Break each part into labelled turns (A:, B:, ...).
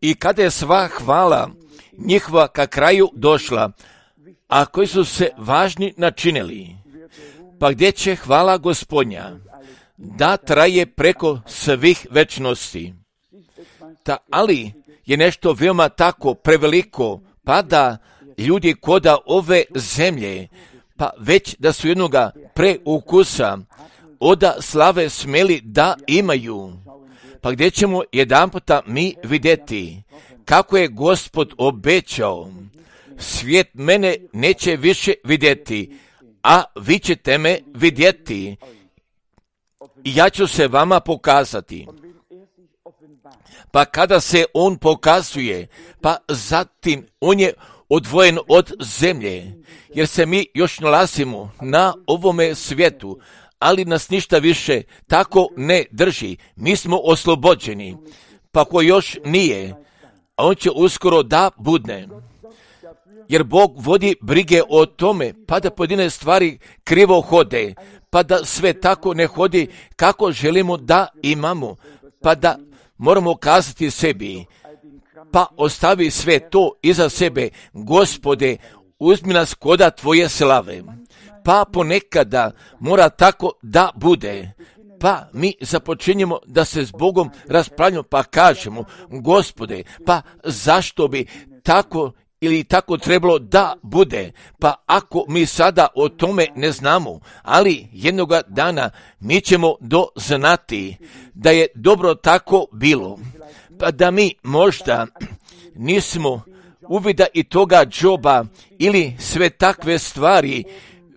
A: I kada je sva hvala njihova ka kraju došla, a koji su se važni načinili, pa gdje će hvala Gospodnja da traje preko svih večnosti. Ali je nešto veoma tako preveliko, pa da ljudi koda ove zemlje, pa već da su jednoga preukusa oda slave smeli da imaju. Pa gdje ćemo jedanputa mi vidjeti kako je Gospod obećao, svijet mene neće više vidjeti, a vi ćete me vidjeti i ja ću se vama pokazati. Pa kada se on pokazuje, pa zatim on je odvojen od zemlje, jer se mi još nalazimo na ovome svijetu, ali nas ništa više tako ne drži. Mi smo oslobođeni, pa ko još nije, a on će uskoro da budne. Jer Bog vodi brige o tome, pa da pojedine stvari krivo hode, pa da sve tako ne hodi kako želimo da imamo, pa da moramo kazati sebi, pa ostavi sve to iza sebe, Gospode, uzmi nas koda tvoje slave. Pa ponekada mora tako da bude. Pa mi započinjemo da se s Bogom raspravljamo, pa kažemo, Gospode, pa zašto bi tako ili tako trebalo da bude, pa ako mi sada o tome ne znamo, ali jednoga dana mi ćemo doznati da je dobro tako bilo, pa da mi možda nismo uvida i toga džoba ili sve takve stvari,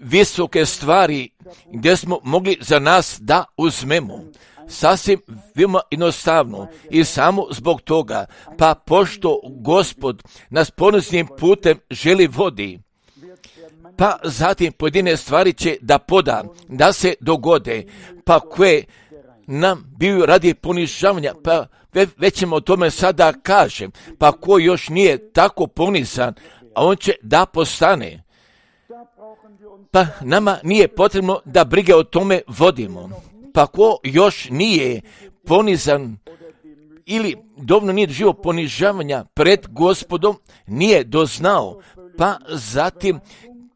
A: visoke stvari gdje smo mogli za nas da uzmemo. Sasvim veoma jednostavno i samo zbog toga, pa pošto Gospod nas ponosnim putem želi vodi, pa zatim pojedine stvari će da poda, da se dogode, pa koje nam biju radi ponižavanja, pa već ćemo o tome sada kažem, pa ko još nije tako ponizan, a on će da postane. Pa nama nije potrebno da brige o tome vodimo. Pa ko još nije ponizan ili dovoljno nije doživio ponižavanja pred Gospodom, nije doznao, pa zatim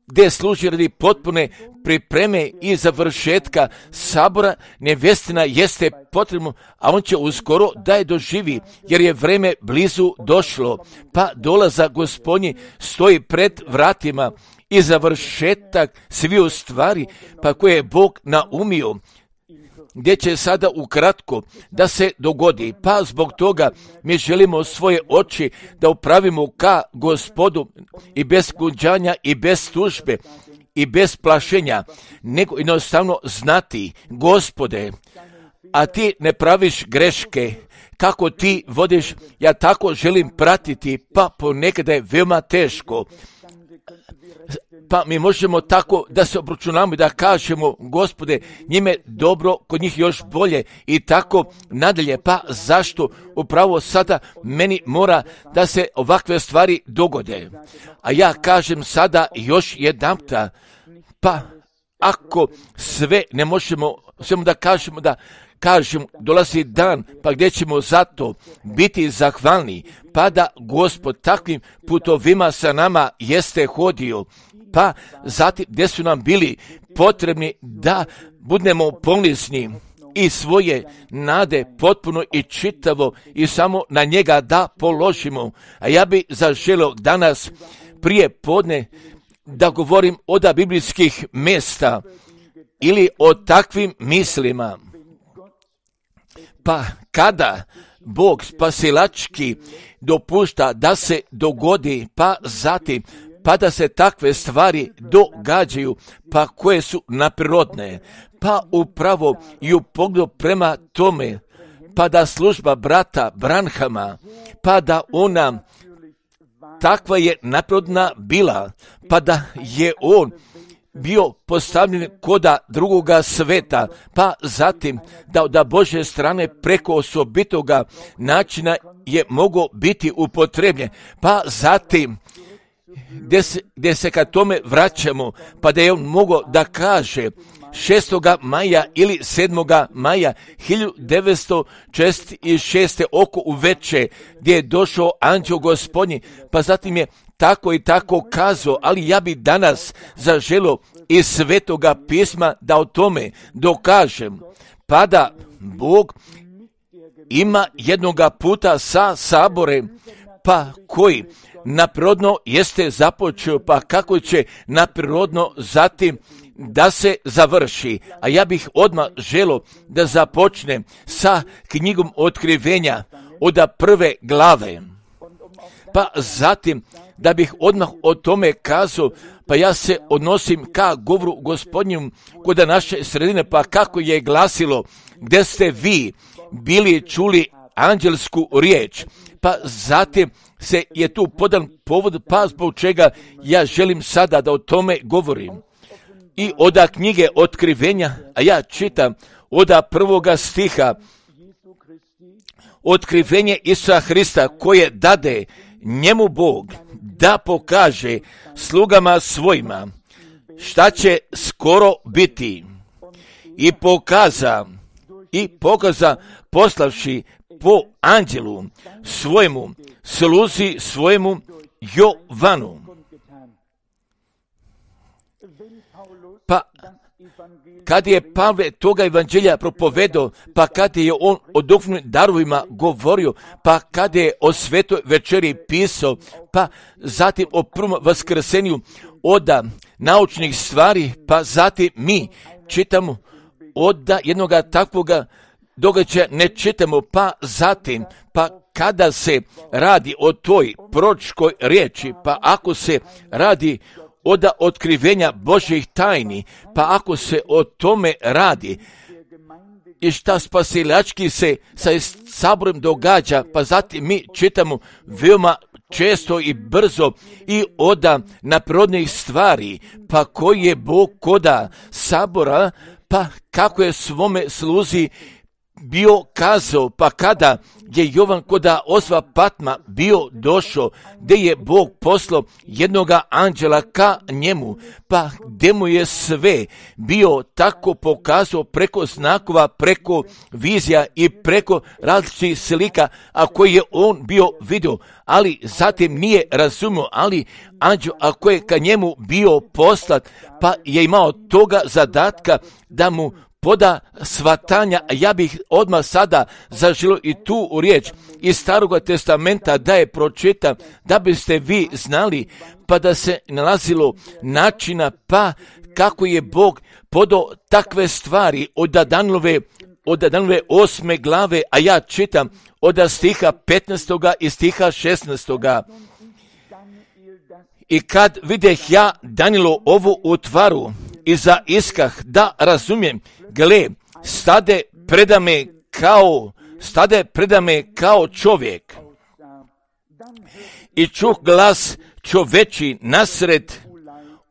A: gdje služi radi potpune pripreme i završetka sabora, nevjestina jeste potrebno, a on će uskoro da je doživi, jer je vreme blizu došlo, pa dolaza Gospodnji stoji pred vratima i završetak sviju stvari, pa koje je Bog naumio, gdje će sada ukratko da se dogodi. Pa zbog toga mi želimo svoje oči da upravimo ka Gospodu i bez kunđanja i bez tužbe i bez plašenja, nego jednostavno znati, Gospode, a ti ne praviš greške, kako ti vodiš, ja tako želim pratiti, pa ponekada je veoma teško. Pa mi možemo tako da se obračunamo i da kažemo, Gospode, njime dobro, kod njih još bolje i tako nadalje. Pa zašto upravo sada meni mora da se ovakve stvari dogode? A ja kažem sada još jedanputa, pa ako sve ne možemo, samo da kažemo dolazi dan, pa gdje ćemo zato biti zahvalni, pa da Gospod takvim putovima sa nama jeste hodio, pa zatim gdje su nam bili potrebni da budemo ponizni i svoje nade potpuno i čitavo i samo na njega da položimo. A ja bi zaželio danas prije podne da govorim od biblijskih mjesta ili o takvim mislima. Pa kada Bog spasilački dopušta da se dogodi, pa zatim pa da se takve stvari događaju, pa koje su naprirodne, pa upravo i u pogledu prema tome, pa da služba brata Branhama, pa da ona takva je naprirodna bila, pa da je on bio postavljen koda drugoga sveta, pa zatim da Božje strane preko osobitoga načina je mogao biti upotrebljen, pa zatim gdje se ka tome vraćamo, pa da je on mogao da kaže 6. maja ili 7. maja 1946. oko uveče, gdje je došao anđeo Gospodnji, pa zatim je tako i tako kazao, ali ja bi danas zaželio iz Svetoga pisma da o tome dokažem, pa da Bog ima jednoga puta sa saborem, pa koji naprirodno jeste započeo, pa kako će naprirodno zatim da se završi. A ja bih odmah želio da započnem sa knjigom Otkrivenja od 1. glave. Pa zatim da bih odmah o tome kazao, pa ja se odnosim ka govoru Gospodnjem kod naše sredine, pa kako je glasilo, gdje ste vi bili čuli anđelsku riječ, pa zatim se je tu podan povod, pa zbog čega ja želim sada da o tome govorim. I od knjige Otkrivenja, a ja čitam od 1. stiha, otkrivenje Isusa Hrista koje dade njemu Bog da pokaže slugama svojima šta će skoro biti, i pokaza poslavši po anđelu svojemu, sluzi svojemu Jovanu. Pa kad je Pavle toga evanđelja propovedao, pa kad je on o duhovnim darovima govorio, pa kad je o svetoj večeri pisao, pa zatim o prvom vaskrsenju od naučnih stvari, pa zatim mi čitamo od jednoga takvoga događaja ne čitamo, pa zatim, pa kada se radi o toj proročkoj riječi, pa ako se radi od otkrivenja Božjih tajni, pa ako se o tome radi i šta spasilački se sa saborom događa, pa zatim mi čitamo veoma često i brzo i od naprirodnih stvari, pa koji je Bog koda sabora, pa kako je svome sluzi bio kazao, pa kada je Jovan koda Osva Patma bio došao, gdje je Bog poslao jednoga anđela ka njemu, pa gdje mu je sve bio tako pokazao preko znakova, preko vizija i preko različitih slika, a koji je on bio vidio, ali zatim nije razumio, ali anđel ako je ka njemu bio poslat, pa je imao toga zadatka da mu poda svatanja, a ja bih odmah sada zaželio i tu riječ iz Staroga testamenta da je pročitam, da biste vi znali, pa da se nalazilo načina, pa kako je Bog podao takve stvari od Danilove 8. glave, a ja čitam od stiha 15. i stiha 16. I kad videh ja Danilo ovu utvaru i zaiskah da razumijem, gle, stade predame kao čovjek. I čuh glas čoveči nasred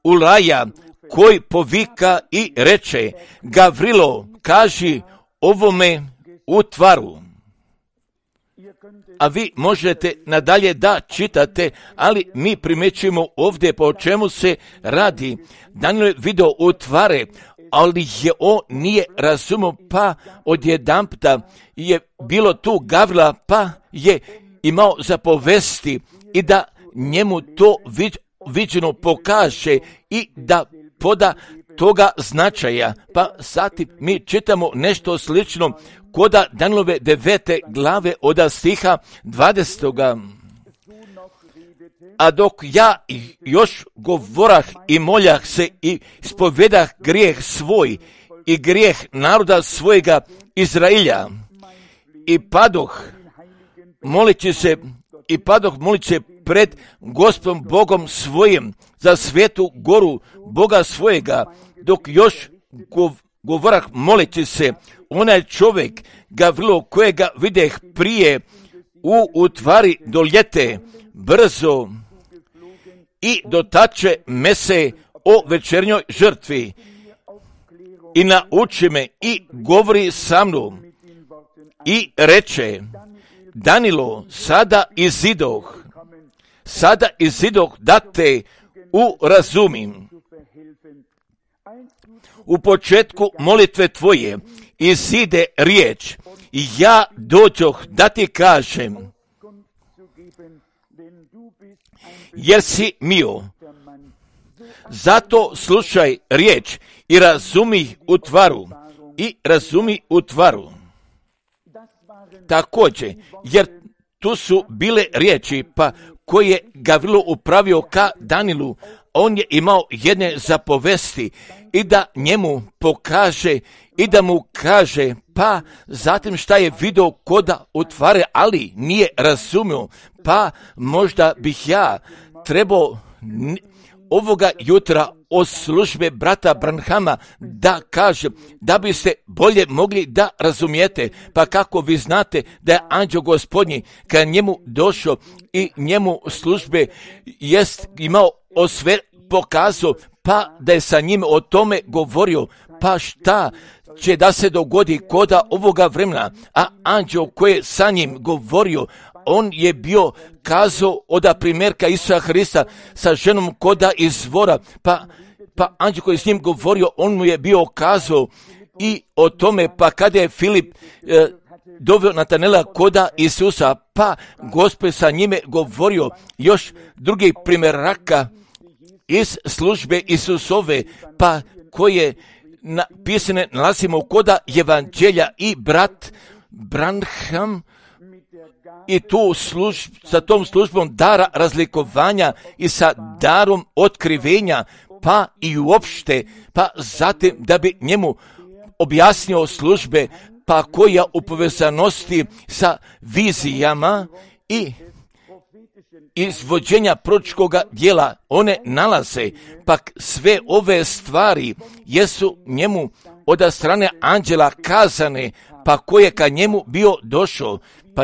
A: ulaja, koji povika i reče, Gavrilo, kaži ovome utvaru. A vi možete nadalje da čitate, ali mi primećujemo ovdje po čemu se radi. Danilo je video utvare, ali je on nije razumio, pa odjedanputa je bilo tu Gavrila, pa je imao zapovesti i da njemu to viđeno pokaže i da poda toga značaja. Pa zatim mi čitamo nešto slično koda Danilove 9. glave od stiha 20. A dok ja još govorah i moljah se i ispovedah grijeh svoj i grijeh naroda svojega Izrailja, i padoh molići se pred Gospodom Bogom svojim za svetu goru Boga svojega, dok još govorah molići se, onaj čovjek Gavrilo kojega videh prije u utvari doljete brzo i dotače me se o večernjoj žrtvi i nauči me i govori sa mnom i reče, Danilo, sada izidoh sada izidoh da te urazumim. U početku molitve tvoje izide riječ i ja dođoh da ti kažem, jer si mio. Zato slušaj riječ i razumi u tvaru. Također, jer tu su bile riječi, pa koje Gavrilo upravio ka Danilu, on je imao jedne zapovesti i da njemu pokaže i da mu kaže, pa zatim šta je vidio koda utvare, ali nije razumio, pa možda bih ja trebao ovoga jutra od službe brata Branhama da kažem, da biste bolje mogli da razumijete, pa kako vi znate da je anđeo Gospodnji kad njemu došao i njemu službe jest imao sve pokazao, pa da je sa njim o tome govorio, pa šta će da se dogodi koda ovoga vremena, a anđeo koji je sa njim govorio, on je bio kazao od primjerka Isusa Hrista sa ženom koda izvora, pa anđeo koji je s njim govorio, on mu je bio kazao i o tome, pa kada je Filip doveo Natanela koda Isusa, pa Gospod sa njime govorio još drugih primjeraka iz službe Isusove, pa koje napisane nalazimo koda evanđelja i brat Branham i tu sa tom službom dara razlikovanja i sa darom otkrivenja, pa i uopšte, pa zatim da bi njemu objasnio službe, pa koja u povezanosti sa vizijama i izvođenja proročkoga djela one nalaze, pa sve ove stvari jesu njemu od strane anđela kazane, pa koje ka njemu bio došao. Pa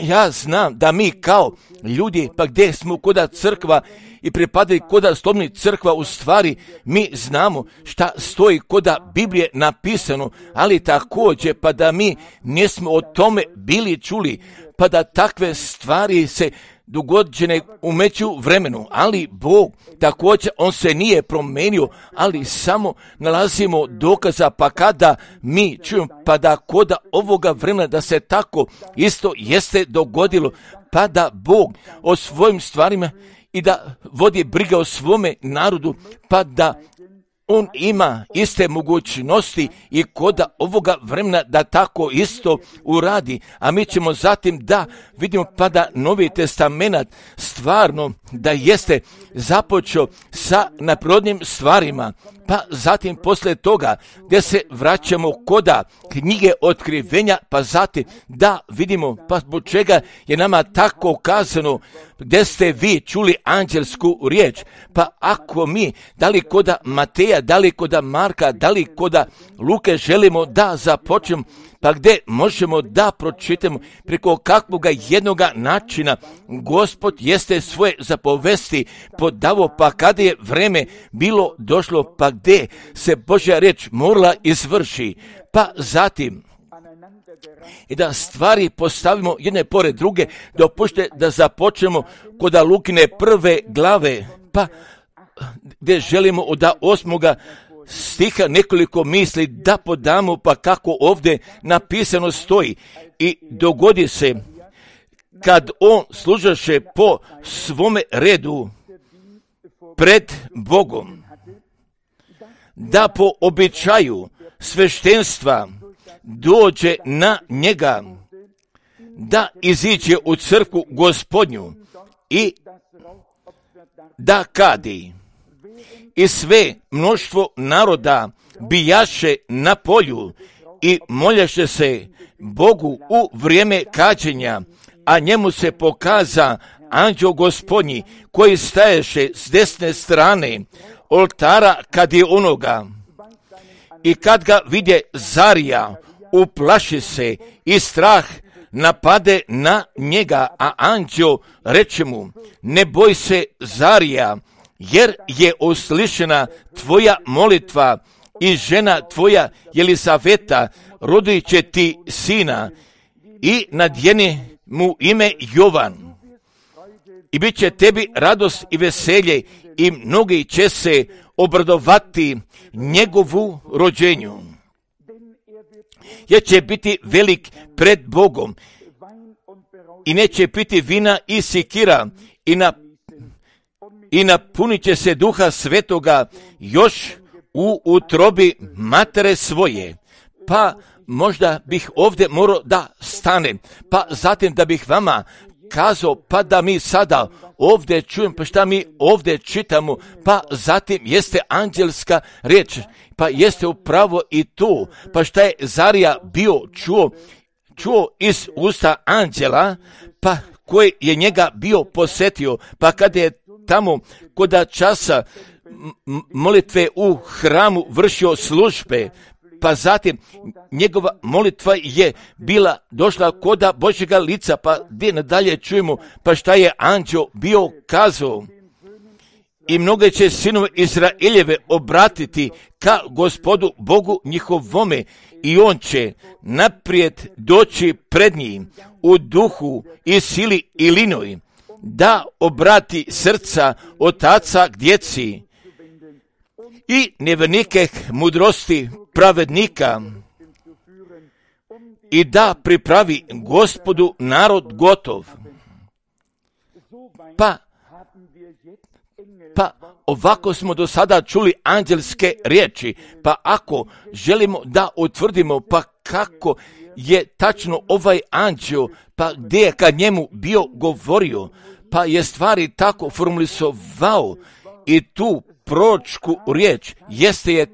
A: ja znam da mi kao ljudi, pa gdje smo koda crkva i pripadaju koda slobodnih crkva, u stvari mi znamo šta stoji koda Biblije napisano, ali također pa da mi nismo o tome bili čuli, pa da takve stvari se dogođene u međuvremenu, ali Bog također, on se nije promenio, ali samo nalazimo dokaza, pa kada mi čujemo, pa da koda ovoga vremena da se tako isto jeste dogodilo, pa da Bog o svojim stvarima i da vodi briga o svome narodu, pa da on ima iste mogućnosti i koda ovoga vremena da tako isto uradi, a mi ćemo zatim da vidimo pa da Novi Testament stvarno da jeste započeo sa neprirodnim stvarima, pa zatim poslije toga gdje se vraćamo koda knjige otkrivenja, pa zatim da vidimo pa zbog čega je nama tako kazano, gdje ste vi čuli anđelsku riječ, pa ako mi, da li koda Mateja, da li koda Marka, da li koda Luke želimo da započnemo, pa gdje možemo da pročitamo preko kakvoga jednoga načina Gospod jeste svoje zapovesti podavo, pa kada je vreme bilo došlo, pa gdje se Božja riječ morala izvrši, pa zatim i da stvari postavimo jedne pored druge, dopušte da započnemo koda Lukine prve glave, pa gdje želimo od 8. stiha nekoliko misli da podamo, pa kako ovdje napisano stoji. I dogodi se kad on služaše po svome redu pred Bogom, da po običaju sveštenstva dođe na njega, da iziđe u crkvu Gospodnju i da kadi. I sve mnoštvo naroda bijaše na polju i moljaše se Bogu u vrijeme kađenja, a njemu se pokaza anđeo Gospodnji koji staješe s desne strane oltara kad je onoga. I kad ga vidje Zarija, uplaši se i strah napade na njega, a anđeo reče mu, ne boj se Zarija, jer je uslišena tvoja molitva i žena tvoja Jelisaveta rodit će ti sina i nadjeni mu ime Jovan. i bit će tebi radost i veselje i mnogi će se obradovati njegovu rođenju. Jer će biti velik pred Bogom i neće piti vina i sikira i napunit će se Duha Svetoga još u utrobi matere svoje. Pa možda bih ovdje morao da stanem, pa zatim da bih vama kazao, pa da mi sada ovdje čujem, pa šta mi ovdje čitamo, pa zatim jeste anđelska riječ, pa jeste upravo i tu, pa šta je Zarija bio čuo iz usta anđela, pa koji je njega bio posjetio, pa kada je tamo koda časa molitve u hramu vršio službe, pa zatim njegova molitva je bila došla koda Božjega lica, pa gdje nadalje čujemo, pa šta je anđel bio kazao. I mnoge će sinove Izraeljeve obratiti ka Gospodu Bogu njihovome i on će naprijed doći pred njim u duhu i sili i linoj, da obrati srca otaca k djeci i nevjernike mudrosti pravednika i da pripravi Gospodu narod gotov. Pa ovako smo do sada čuli anđelske riječi, pa ako želimo da utvrdimo pa kako je tačno ovaj anđel, pa gdje je kad njemu bio govorio, pa je stvari tako formulisovao i tu proročku riječ jeste je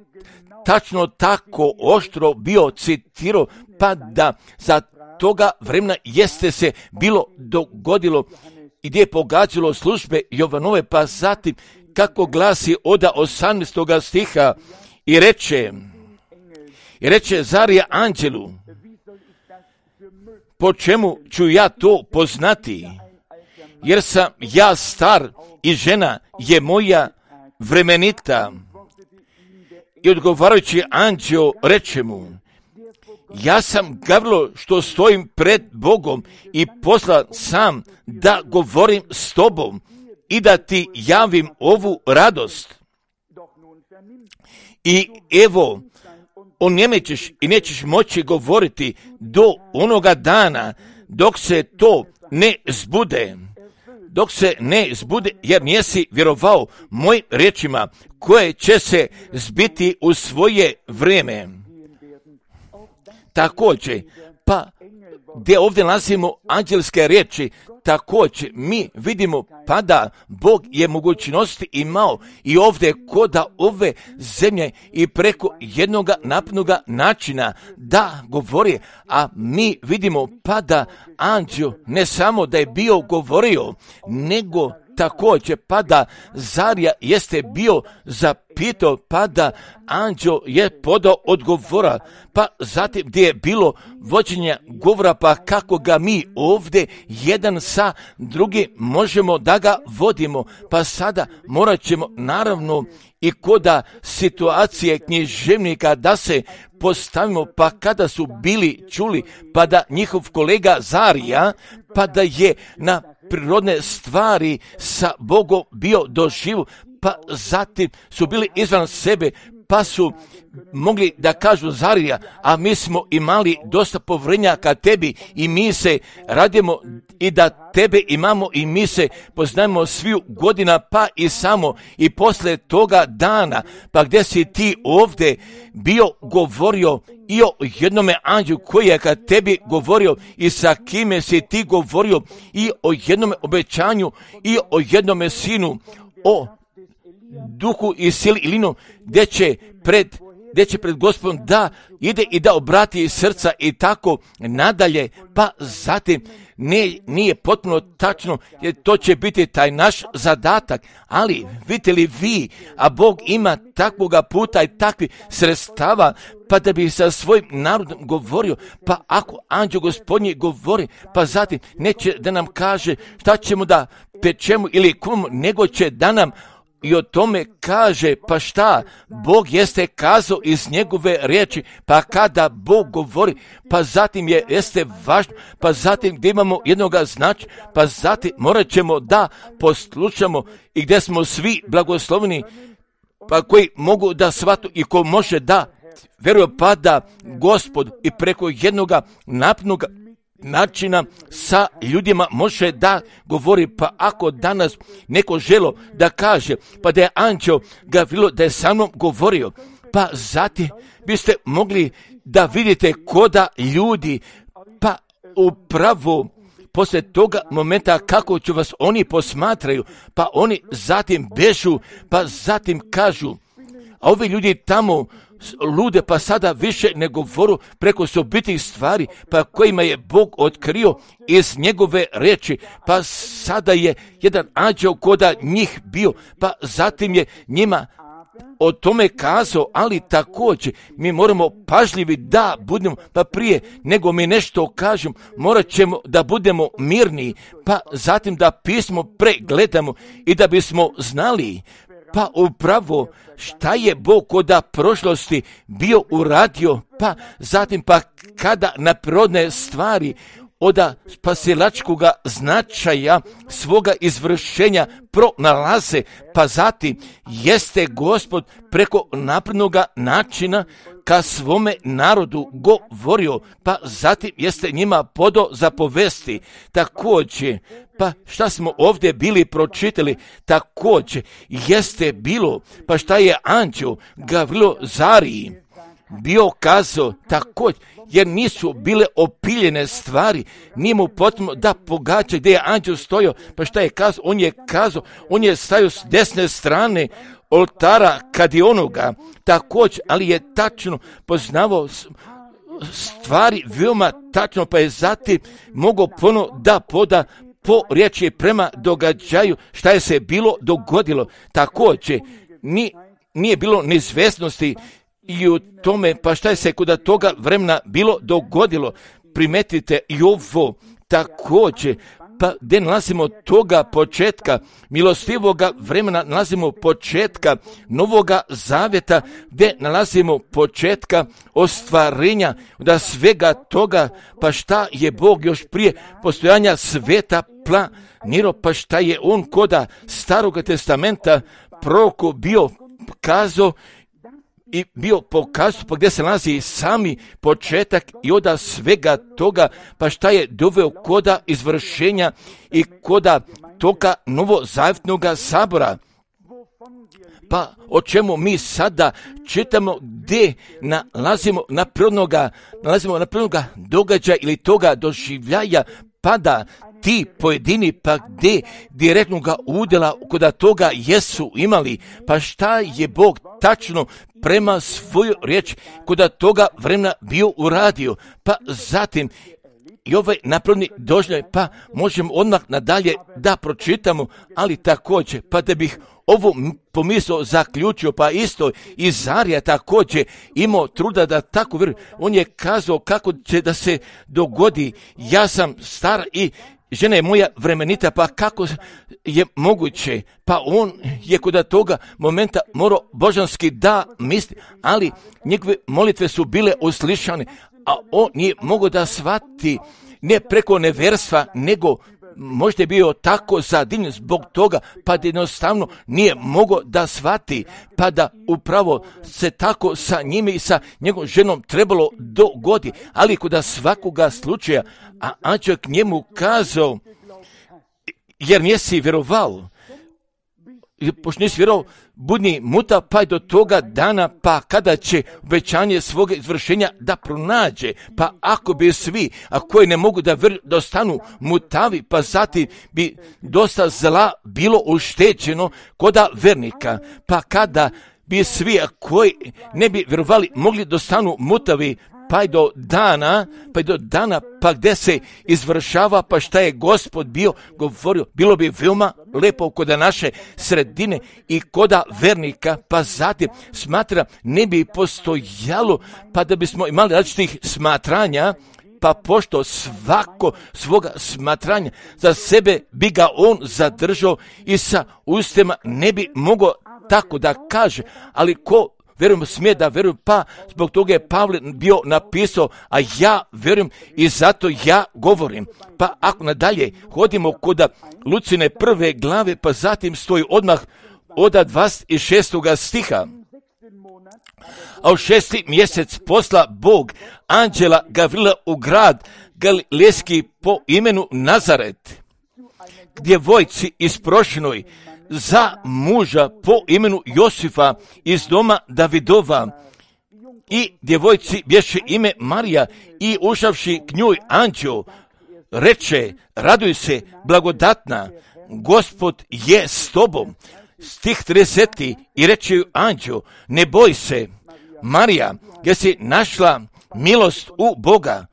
A: tačno tako oštro bio citirao, pa da za toga vremena jeste se bilo dogodilo i gdje je pogađalo službe Jovanove, pa zatim kako glasi od 18. stiha i reče Zarija anđelu, po čemu ću ja to poznati, jer sam ja star i žena je moja vremenita. I odgovarajući anđel reče mu, ja sam Gavrilo što stojim pred Bogom i poslan sam da govorim s tobom i da ti javim ovu radost. I evo, onjemećeš i nećeš moći govoriti do onoga dana dok se to ne zbude. Dok se ne zbude, jer nisi vjerovao mojim riječima koje će se zbiti u svoje vrijeme. Također, pa gdje ovdje nalazimo anđelske riječi, također mi vidimo pa da Bog je mogućnosti imao i ovdje koda ove zemlje i preko jednoga naprednoga načina da govori, a mi vidimo pa da anđel ne samo da je bio govorio, nego također pa da Zarija jeste bio zapitao, pa da anđel je podao odgovora, pa zatim gdje je bilo vođenja govora, pa kako ga mi ovdje jedan sa drugim možemo da ga vodimo, pa sada morat ćemo naravno i koda situacije književnika da se postavimo, pa kada su bili čuli, pa da njihov kolega Zarija, pa da je na prirodne stvari sa Bogom bio doživu, pa zatim su bili izvan sebe, pa su mogli da kažu Zarija, a mi smo imali dosta povjerenja ka tebi i mi se radimo i da tebe imamo i mi se poznajemo sviju godina, pa i samo i posle toga dana, pa gdje si ti ovdje bio govorio i o jednome anđelu koji je ka tebi govorio i sa kime si ti govorio i o jednome obećanju i o jednome sinu, o duhu i sili i linu, gdje će pred Gospodom da ide i da obrati srca i tako nadalje, pa zatim nije potpuno tačno, jer to će biti taj naš zadatak, ali vidite li vi, a Bog ima takvoga puta i takvih sredstava, pa da bi sa svojim narodom govorio, pa ako anđel Gospodnji govori, pa zatim neće da nam kaže šta ćemo da pečemo ili kumamo, nego će da nam i o tome kaže, pa šta, Bog jeste kazao iz njegove riječi, pa kada Bog govori, pa zatim jeste važno, pa zatim gdje imamo jednoga značaja, pa zatim morat ćemo da poslušamo i gdje smo svi blagosloveni, pa koji mogu da shvatu i ko može da vjeruje, pa da Gospod i preko jednoga napnuga načina sa ljudima može da govori. Pa ako danas neko želo da kaže, pa da je anđeo ga vidjelo da je sa mnom govorio, pa zatim biste mogli da vidite koda ljudi, pa upravo poslije toga momenta kako će vas oni posmatraju, pa oni zatim bežu, pa zatim kažu, a ovi ljudi tamo lude, pa sada više ne govoru preko sobitih stvari, pa kojima je Bog otkrio iz njegove riječi, pa sada je jedan anđeo koda njih bio, pa zatim je njima o tome kazao, ali također mi moramo pažljivi da budemo, pa prije nego mi nešto kažemo, morat ćemo da budemo mirni, pa zatim da pismo pregledamo i da bismo znali, pa upravo šta je Bog koda prošlosti bio uradio, pa zatim pa kada na prirodne stvari od spasilačkoga značaja svoga izvršenja pronalaze, pa zatim jeste Gospod preko naprednoga načina ka svome narodu govorio, pa zatim jeste njima podo zapovesti. Također, pa šta smo ovdje bili pročitali, također jeste bilo, pa šta je anđeo Gavrilo Zariji bio kazao također, jer nisu bile opiljene stvari, nije mu potrebno da pogađa gdje je anđeo stojao, pa šta je kazao, on je stajao s desne strane oltara kadionoga, također, ali je tačno poznavao stvari veoma tačno, pa je zatim mogao ponovno da poda po riječi prema događaju šta je se bilo dogodilo. Također, nije bilo neizvjesnosti i u tome, pa šta je se kod toga vremena bilo dogodilo. Primetite i ovo također, pa gdje nalazimo toga početka milostivoga vremena, nalazimo početka Novoga Zavjeta, gdje nalazimo početka ostvarenja da svega toga, pa šta je Bog još prije postojanja sveta planirao, pa šta je on koda Staroga testamenta proroku bio kazao i bio pokazao, pa gdje se nalazi sami početak i od svega toga, pa šta je doveo koda izvršenja i koda toga novozavjetnoga sabora. Pa o čemu mi sada čitamo, gdje nalazimo na prirodnoga događaja ili toga doživljaja, pa da ti pojedini, pa gdje direktnoga udjela kod toga jesu imali, pa šta je Bog tačno prema svoju riječ kod toga vremena bio uradio, pa zatim i ovaj napravni doživljaj, pa možemo odmah nadalje da pročitamo, ali također, pa da bih ovo pomisao zaključio, pa isto i Zarija također imao truda da tako vjeruje. On je kazao kako će da se dogodi, ja sam star i žena je moja vremenita, pa kako je moguće, pa on je kod toga momenta morao božanski da misli, ali njegove molitve su bile uslišane, a on nije mogao da shvati ne preko neverstva, nego možda je bio tako zadivljen zbog toga, pa da jednostavno nije mogao da shvati, pa da upravo se tako sa njime i sa njegovom ženom trebalo dogodi, ali kod svakoga slučaja, a anđeo k njemu kazao, jer nisi vjerovao, pošto nisi vjerovao, budni muta pa do toga dana, pa kada će obećanje svoga izvršenja da pronađe, pa ako bi svi, a koji ne mogu da ostanu mutavi, pa zatim bi dosta zla bilo ušteđeno koda vernika, pa kada bi svi, a koji ne bi vjerovali, mogli da ostanu mutavi, pa do dana, pa gdje se izvršava, pa šta je Gospod bio govorio, bilo bi veoma lepo kod naše sredine i koda vernika, pa zatim smatra ne bi postojalo, pa da bismo imali različitih smatranja pa pošto svako svoga smatranja za sebe bi ga on zadržao i sa ustima ne bi mogao tako da kaže, ali ko vjerujem smije da vjerujem, pa zbog toga je Pavle bio napisao, a ja vjerujem i zato ja govorim. Pa ako nadalje hodimo kod Lucine 1. glave, pa zatim stoji odmah od 26. stiha. A u 6. mjesec posla Bog anđela Gavrila u grad Galilejski po imenu Nazaret, djevojci isprošenoj za muža po imenu Josifa iz doma Davidova. I djevojci bješe ime Marija i ušavši k njoj anđeo, reče, raduj se, blagodatna, Gospod je s tobom. Stih 30. I reče ju anđeo, ne boj se, Marija, jer si našla milost u Boga.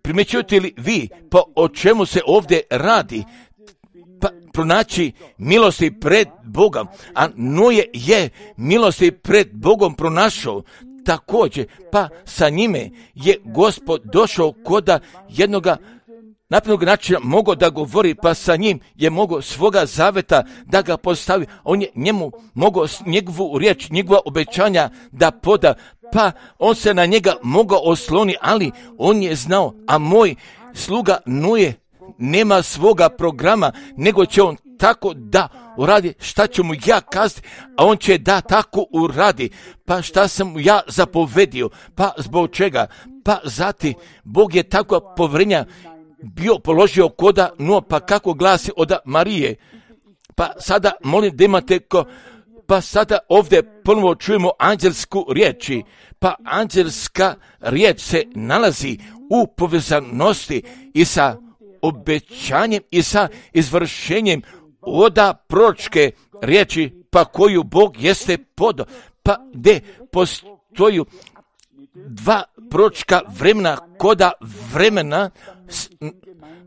A: Primjećujete li vi, pa o čemu se ovdje radi? Pa pronaći milosti pred Bogom, a Noje je milosti pred Bogom pronašao. Također, pa sa njime je Gospod došao koda jednoga naprednog načina mogao da govori, pa sa njim je mogao svoga zaveta da ga postavi. On je njemu mogao njegovu riječ, njegova obećanja da poda, pa on se na njega mogao osloni, ali on je znao, a moj sluga Noje nema svoga programa, nego će on tako da uradi šta ću mu ja kazati, a on će da tako uradi. Pa šta sam mu ja zapovedio, pa zbog čega? Pa zati Bog je tako povjerenja bio položio koda no, pa kako glasi od Marije. Pa sada molim da imate pa sada ovdje ponovo čujemo anđelsku riječi. Pa anđelska riječ se nalazi u povezanosti i sa obećanjem i sa izvršenjem oda proročke riječi, pa koju Bog jeste podao, pa gdje postoju dva proročka vremena koda vremena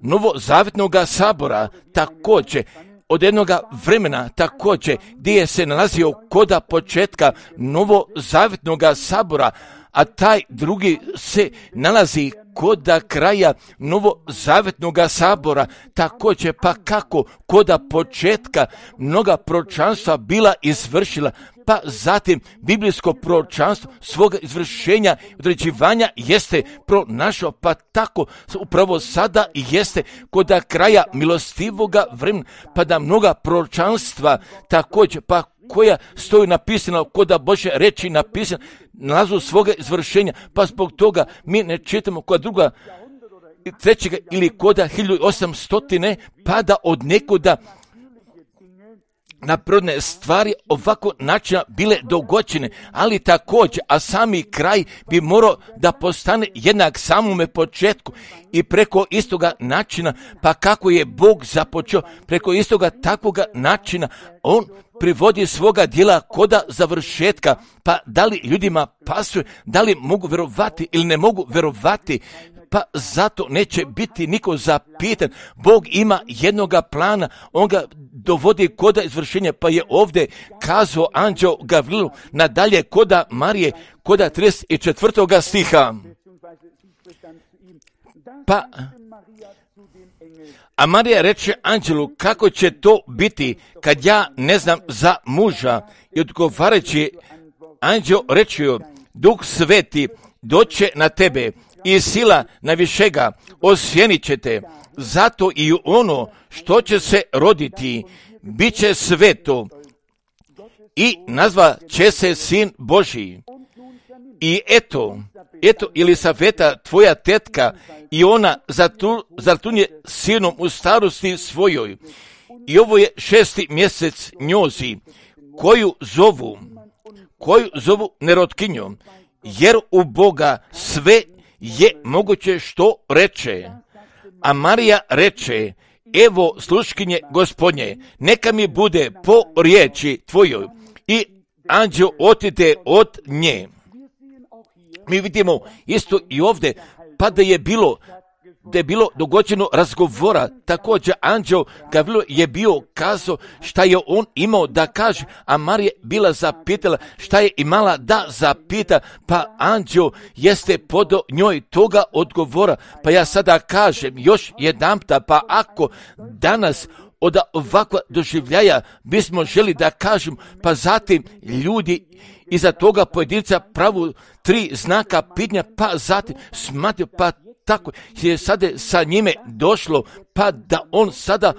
A: novozavjetnog sabora, također od jednoga vremena također gdje je se nalazio koda početka novozavjetnog sabora, a taj drugi se nalazi koda kraja novozavjetnog sabora, također pa kako koda početka mnoga proročanstva bila izvršila, pa zatim biblijsko proročanstvo svoga izvršenja i određivanja jeste pronašao, pa tako upravo sada jeste koda kraja milostivoga vremena, pa da mnoga proročanstva također pa koja stoji napisana koda Božje reči napisana nalazu svoga izvršenja, pa zbog toga mi ne čitamo kod druga trećega ili koda 1800 pada od nekuda naprodne stvari ovako načina bile dogođene, ali također, a sami kraj bi morao da postane jednak samome početku i preko istoga načina, pa kako je Bog započeo, preko istoga takvoga načina, on privodi svoga djela koda završetka, pa da li ljudima pasuje, da li mogu vjerovati ili ne mogu vjerovati, pa zato neće biti niko zapitan. Bog ima jednoga plana, on ga dovodi koda izvršenja, pa je ovdje kazao anđeo Gavrilu nadalje koda Marije, koda 34. stiha. Pa, a Marija reče anđelu, kako će to biti kad ja ne znam za muža? I odgovarajući anđel reče joj, Duh Sveti doće na tebe i sila najvišega osjenit će te, zato i ono što će se roditi bit će sveto i nazva će se Sin Božji. I eto Elisaveta, tvoja tetka, i ona zatrudnje sinom u starosti svojoj. I ovo je 6. mjesec njozi, koju zovu nerotkinjom, jer u Boga sve je moguće što reče. A Marija reče, evo sluškinje Gospodnje, neka mi bude po riječi tvojoj. I anđeo otide od nje. Mi vidimo isto i ovdje, pa da je bilo da je bilo dogođeno razgovora. Također anđeo Gavrilo je bio kazao šta je on imao da kaže, a Marija bila zapitala šta je imala da zapita, pa anđeo jeste podao njoj toga odgovora. Pa ja sada kažem još jedanputa, pa ako danas od ovakva doživljaja bismo želi da kažem, pa zatim ljudi iza toga pojedinca pravu 3 znaka pitanja, pa zatim smatio, pa tako je sada sa njime došlo, pa da on sada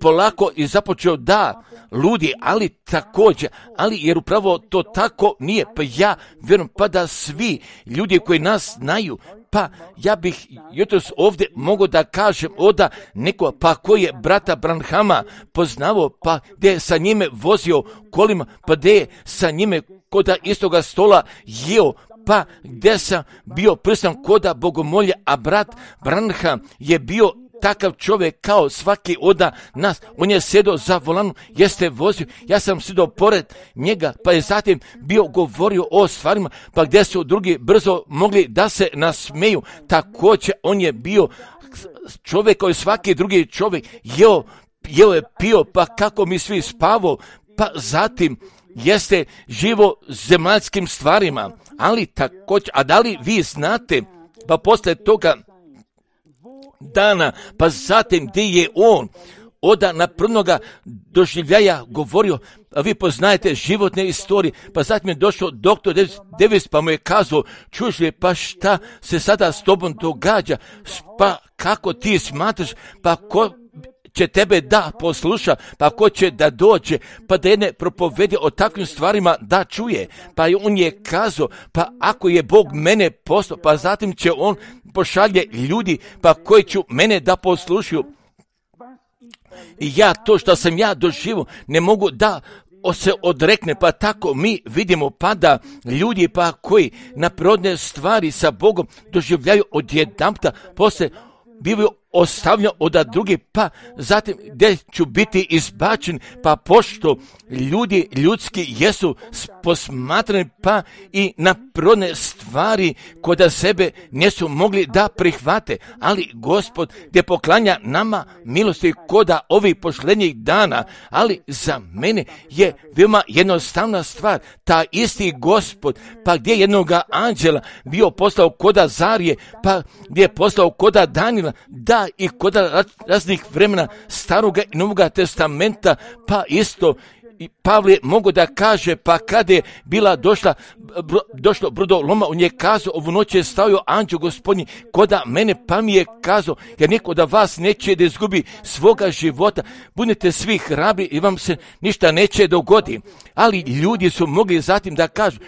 A: polako i započeo da ludi, ali također, ali jer upravo to tako nije, pa ja vjerujem pa da svi ljudi koji nas znaju, pa ja bih jutros ovdje mogao da kažem oda neko, pa koji je brata Branhama poznavao, pa gdje je sa njime vozio kolima, pa gdje je sa njime koda istoga stola jeo, pa gdje sam bio prisutan koda bogomolje, a brat Branham je bio takav čovjek kao svaki od nas. On je sjedio za volanom, jeste vozio, ja sam sjedio pored njega, pa je zatim bio govorio o stvarima, pa gdje su drugi brzo mogli da se nasmeju. Također on je bio čovjek kao i svaki drugi čovjek, jeo je pio, pa kako mi svi spavao, pa zatim jeste živo zemaljskim stvarima, ali također, a da li vi znate, pa poslije toga dana, pa zatim gdje je on oda naprvnoga doživljaja govorio, a vi poznajete životne istorije, pa zatim je došao doktor Davis, pa mu je kazao, čuješ li, pa šta se sada s tobom događa, pa kako ti smatraš, pa ko će tebe da posluša, pa ko će da dođe, pa da jedne propovedi o takvim stvarima da čuje. Pa on je kazao, pa ako je Bog mene poslao, pa zatim će on pošalje ljudi, pa koji ću mene da poslušaju. I ja to što sam ja doživio ne mogu da se odrekne, pa tako mi vidimo pa da ljudi pa koji na prirodne stvari sa Bogom doživljaju odjedanputa, poslije bivaju ostavljeno od drugi, pa zatim gdje ću biti izbačen, pa pošto ljudi ljudski jesu posmatrani, pa i na prirodne stvari kod sebe nisu mogli da prihvate, ali Gospod gdje poklanja nama milosti koda ovih posljednjih dana, ali za mene je veoma jednostavna stvar, ta isti Gospod, pa gdje jednoga anđela bio poslao koda Zarije, pa gdje je poslao koda Danila, da i kod raznih vremena Staroga i Novoga testamenta, pa isto i Pavle mogu da kaže, pa kada je bila došlo brodoloma, on je kazao, ovu noć je stavio anđeo Gospodnji koda mene, pa mi je kazao, jer niko da vas neće da izgubi svoga života, budite svi hrabri i vam se ništa neće dogodi. Ali ljudi su mogli zatim da kažu,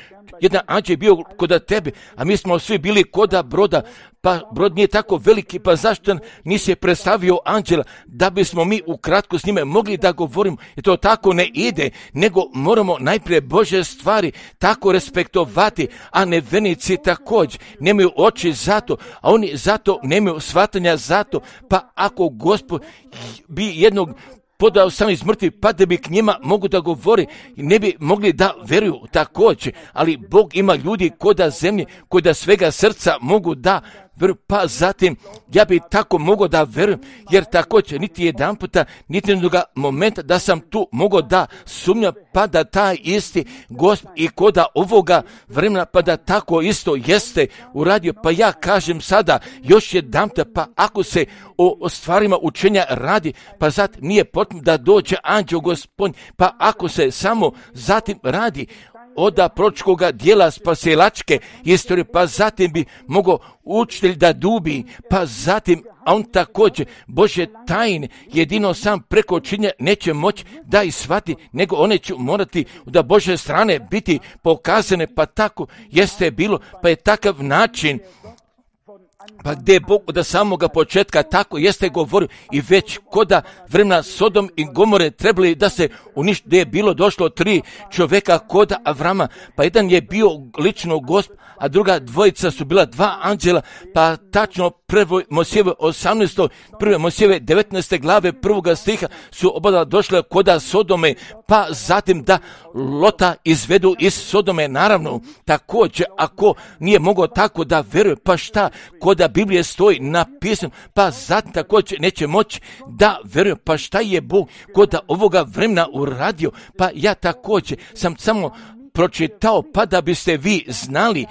A: jedan anđel je bio kod tebe, a mi smo svi bili koda broda, pa brod nije tako veliki, pa zašto nisi je predstavio anđela, da bismo mi ukratko s njime mogli da govorimo, jer to tako ne ide, nego moramo najprije Božje stvari tako respektovati, a nevjernici također nemaju oči zato, a oni zato nemaju shvatanja zato, pa ako Gospod bi jednog podao sam iz mrtvih, pa da bi k njima mogu da govori, ne bi mogli da veruju također, ali Bog ima ljudi koda zemlje, koji da svega srca mogu da veruju, pa zatim ja bi tako mogao da verujem, jer također niti jedan puta, niti jednoga momenta da sam tu mogao da sumnjam, pa da taj isti Gospod i koda ovoga vremena, pa da tako isto jeste uradio, pa ja kažem sada još jedan puta, pa ako se o stvarima učenja radi, pa zatim nije potrebno da dođe anđeo Gospodnji, pa ako se samo zatim radi od proročkoga dijela spasilačke istorije, pa zatim bi mogao učitelj da dubi, pa zatim, a on također Božje tajne jedino sam preko činjenja neće moći da ih shvati, nego one će morati da Božje strane biti pokazane, pa tako jeste bilo, pa je takav način, pa gdje je Bog od samoga početka tako jeste govorio i već koda vremena Sodom i Gomore trebali da se uništi, gdje je bilo došlo 3 čovjeka koda Avrama, pa jedan je bio lično Gospod, a druga dvojica su bila 2 anđela, pa tačno 1. Mojsijeve 18. 1. Mojsijeve 19. glave 1. stiha su oba došle koda Sodome, pa zatim da Lota izvedu iz Sodome, naravno također ako nije mogao tako da veruje, pa šta koda koda Biblije stoji napisano, pa zatim također neće moći da vjerujem, pa šta je Bog koda ovoga vremena uradio, pa ja također sam samo pročitao, pa da biste vi znali,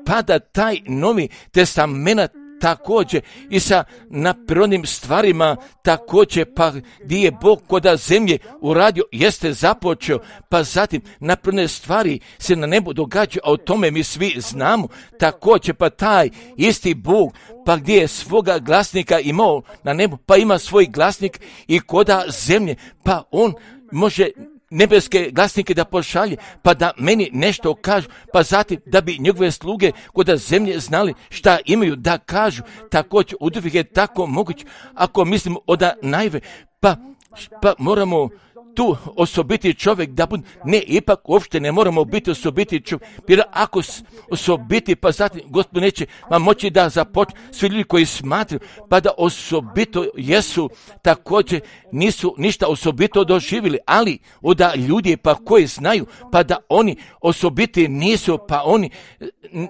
A: pa da taj Novi Testament također i sa naprirodnim stvarima također, pa gdje je Bog koda zemlje uradio, jeste započeo, pa zatim naprirodne stvari se na nebu događaju, a o tome mi svi znamo, također pa taj isti Bog, pa gdje je svoga glasnika imao na nebu, pa ima svoj glasnik i koda zemlje, pa on može nebeske glasnike da pošalje, pa da meni nešto kažu, pa zatim da bi njegove sluge koda zemlje znali šta imaju da kažu, također uvijek je tako moguće, ako mislimo oda najve, pa moramo tu osobiti čovjek da bude, ne, ipak uopšte ne moramo biti osobiti čovjek, jer ako osobiti, pa zatim Gospod neće vam moći da započne, svi ljudi koji smatraju, pa da osobito jesu, također nisu ništa osobito doživjeli, ali oda ljudi pa koji znaju, pa da oni osobiti nisu, pa oni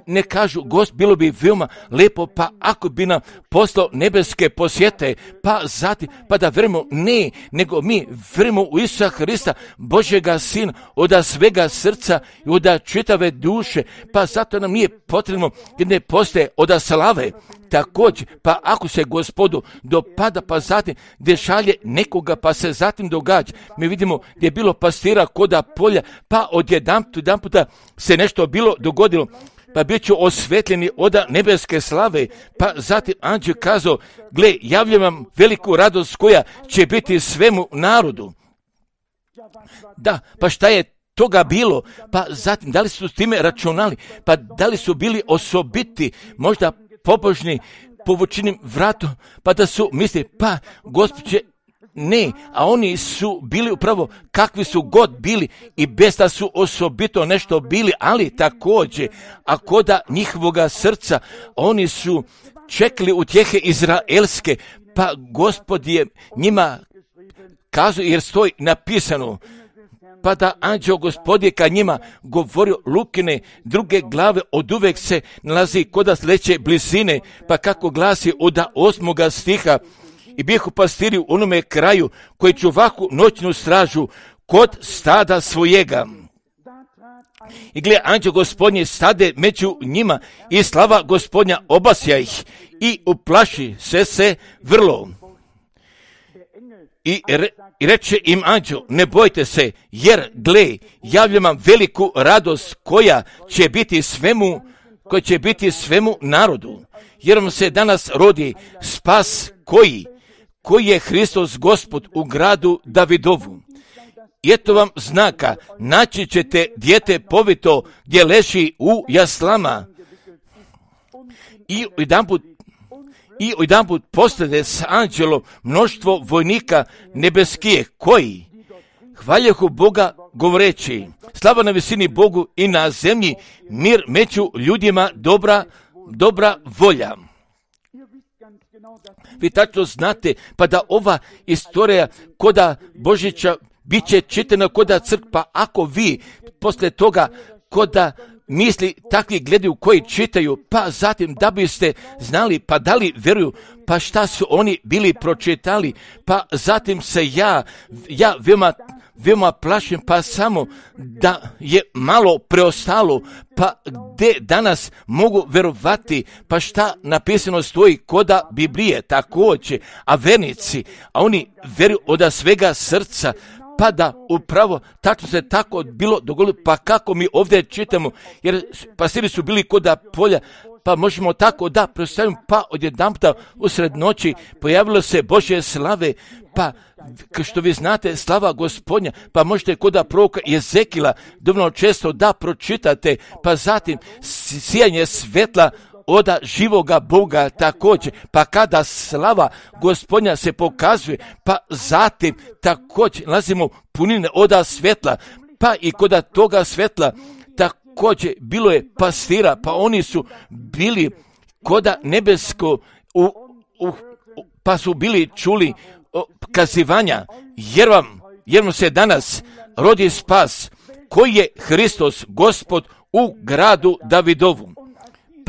A: ne kažu, Gospod, bilo bi veoma lepo, pa ako bi nam poslao nebeske posjete, pa zatim, pa da vjerujemo, ne, nego mi vjerujemo u Isusa Hrista, Božjega Sina, oda svega srca i oda čitave duše, pa zato nam nije potrebno jer ne postoje oda slave. Također, pa ako se Gospodu dopada, pa zatim gdje šalje nekoga, pa se zatim događa. Mi vidimo gdje je bilo pastira koda polja, pa odjedanputa se nešto bilo dogodilo, pa bit ću osvetljeni oda nebeske slave, pa zatim anđel kazao, gle, javljam vam veliku radost koja će biti svemu narodu. Da, pa šta je toga bilo? Pa zatim, da li su s time računali? Pa da li su bili osobiti, možda pobožni, povučenim vratom, pa da su misli, pa Gospod će, ne, a oni su bili upravo kakvi su god bili i bez da su osobito nešto bili, ali također, a koda njihovoga srca, oni su čekali utjehe izraelske, pa Gospod je njima kazao, jer stoji napisano, pa da anđeo Gospod je kad njima govorio Lukine druge glave od uvek se nalazi koda sledeće blizine, pa kako glasi od 8. stiha, i bijehu pastiri u onome kraju koji čuvahu noćnu stražu kod stada svojega. I gle, anđeo Gospodnje stade među njima i slava Gospodnja obasja ih i uplaši se vrlo. I reče im anđeo, ne bojte se, jer gle, javljam vam veliku radost koja će biti svemu narodu. Jer vam se danas rodi spas koji je Hristos Gospod u gradu Davidovu. I eto vam znaka, naći ćete dijete povito gdje leži u jaslama. I jedanput postade s anđelom mnoštvo vojnika nebeskih koji hvaljehu Boga govoreći, slava na visini Bogu i na zemlji mir među ljudima, dobra volja. Vi tačno znate, pa da ova istorija koda Božića bit će čitana koda crkva, ako vi posle toga koda misli takvi gledaju koji čitaju, pa zatim da biste znali, pa da li vjeruju, pa šta su oni bili pročitali, pa zatim se ja veoma plašim, pa samo da je malo preostalo, pa gdje danas mogu vjerovati, pa šta napisano stoji koda Biblije također, a vernici, a oni vjeruju od svega srca, pa da upravo tačno se tako bilo dogodilo, pa kako mi ovdje čitamo, jer pastiri su bili koda polja, pa možemo tako da predstavimo, pa odjedanputa usred noći pojavilo se Božje slave, pa što vi znate, slava Gospodnja, pa možete koda proroka Jezekila dovoljno često da pročitate, pa zatim sijanje svetla oda živoga Boga također, pa kada slava Gospodnja se pokazuje, pa zatim također nalazimo punine oda svetla, pa i koda toga svetla također bilo je pastira, pa oni su bili koda nebesko, pa su bili čuli kazivanja, jer vam se danas rodi spas, koji je Hristos Gospod u gradu Davidovu.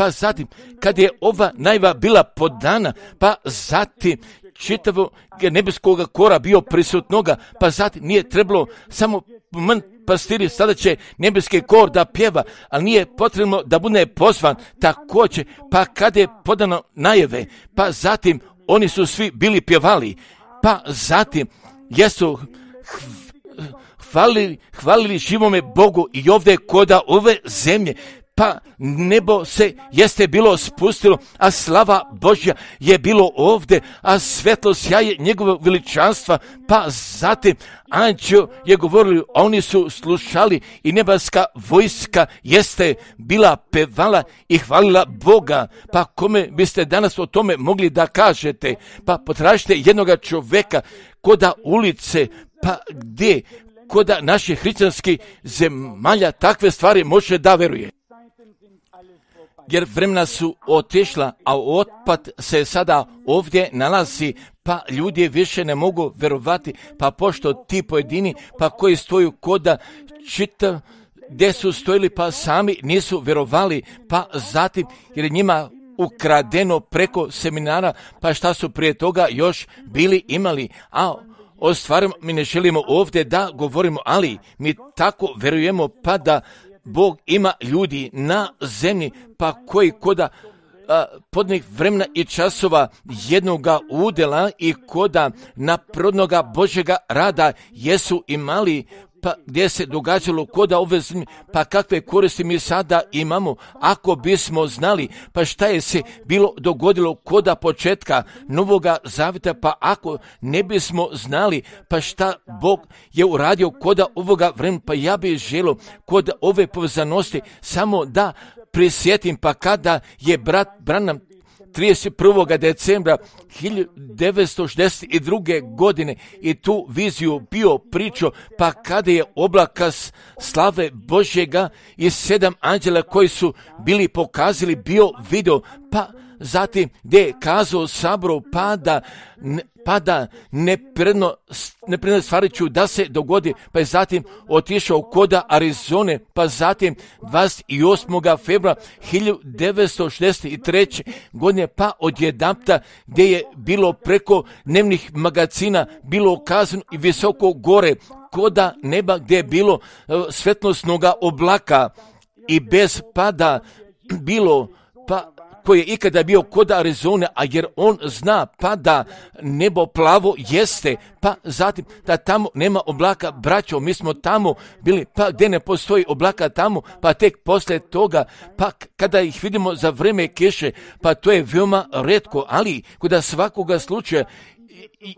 A: pa zatim kad je ova najava bila podana, pa zatim čitavo nebeskog kora bio prisutnoga, pa zatim nije trebalo samo pastiri, sada će nebeski kor da pjeva, ali nije potrebno da bude pozvan također, pa kada je podano najave, pa zatim oni su svi bili pjevali, pa zatim jesu hvalili živome Bogu i ovdje koda ove zemlje, pa nebo se jeste bilo spustilo, a slava Božja je bilo ovdje, a svetlo sjaje njegovog veličanstva, pa zatim anđeo je govorili, oni su slušali i nebeska vojska jeste bila pevala i hvalila Boga. Pa kome biste danas o tome mogli da kažete? Pa potražite jednoga čoveka koda ulice, pa gdje koda naših hrišćanskih zemalja takve stvari može da veruje. Jer vremena su otišla, a otpad se sada ovdje nalazi, pa ljudi više ne mogu verovati, pa pošto ti pojedini, pa koji stoju koda čita, gdje su stojili, pa sami nisu verovali, pa zatim, jer je njima ukradeno preko seminara, pa šta su prije toga još bili imali, a o stvarima mi ne želimo ovdje da govorimo, ali mi tako verujemo, pa da Bog ima ljudi na zemlji, pa koji koda podnih vremena i časova jednoga udjela i koda naprodnoga Božjega rada jesu imali, pa gdje se događalo koda ove zemlje, pa kakve koristi mi sada imamo, ako bismo znali, pa šta je se bilo dogodilo koda početka Novoga Zavjeta, pa ako ne bismo znali, pa šta Bog je uradio koda ovoga vremena, pa ja bih želio kod ove povezanosti samo da prisjetim, pa kada je brat Branham 31. decembra 1962. godine i tu viziju bio pričao, pa kada je oblaka slave Božjega i 7 anđela koji su bili pokazali bio video, pa zatim gdje je kazao Saboru, pa da nepredno stvari ću da se dogodi, pa je zatim otišao koda Arizone, pa zatim 28. februara 1963. godine, pa odjedanput gdje je bilo preko dnevnih magazina bilo ukazano i visoko gore koda neba gdje je bilo svetlosnoga oblaka i bez pada bilo, pa koji je ikada bio kod Arizone, a jer on zna pa da nebo plavo jeste, pa zatim da tamo nema oblaka, braćo, mi smo tamo bili, pa gdje ne postoji oblaka tamo, pa tek poslije toga, pa kada ih vidimo za vrijeme kiše, pa to je veoma retko, ali kod svakoga slučaja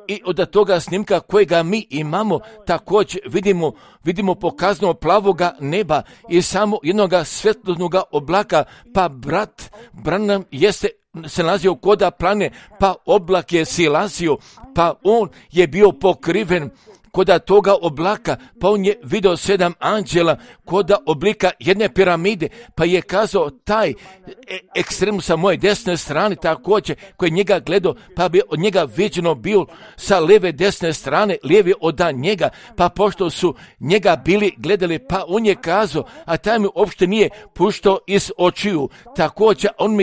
A: i od toga snimka kojega mi imamo također vidimo pokazano plavoga neba i samo jednoga svetlosnoga oblaka, pa brat Branham se nalazio koda plane, pa oblak je silazio, pa on je bio pokriven koda toga oblaka, pa on je vidio 7 anđela koda oblika jedne piramide, pa je kazao taj ekstrem sa moje desne strane također, koji je njega gledao, pa bi od njega viđeno bio sa lijeve desne strane, lijevi od njega, pa pošto su njega bili gledali, pa on je kazao, a taj mi uopšte nije puštao iz očiju, također on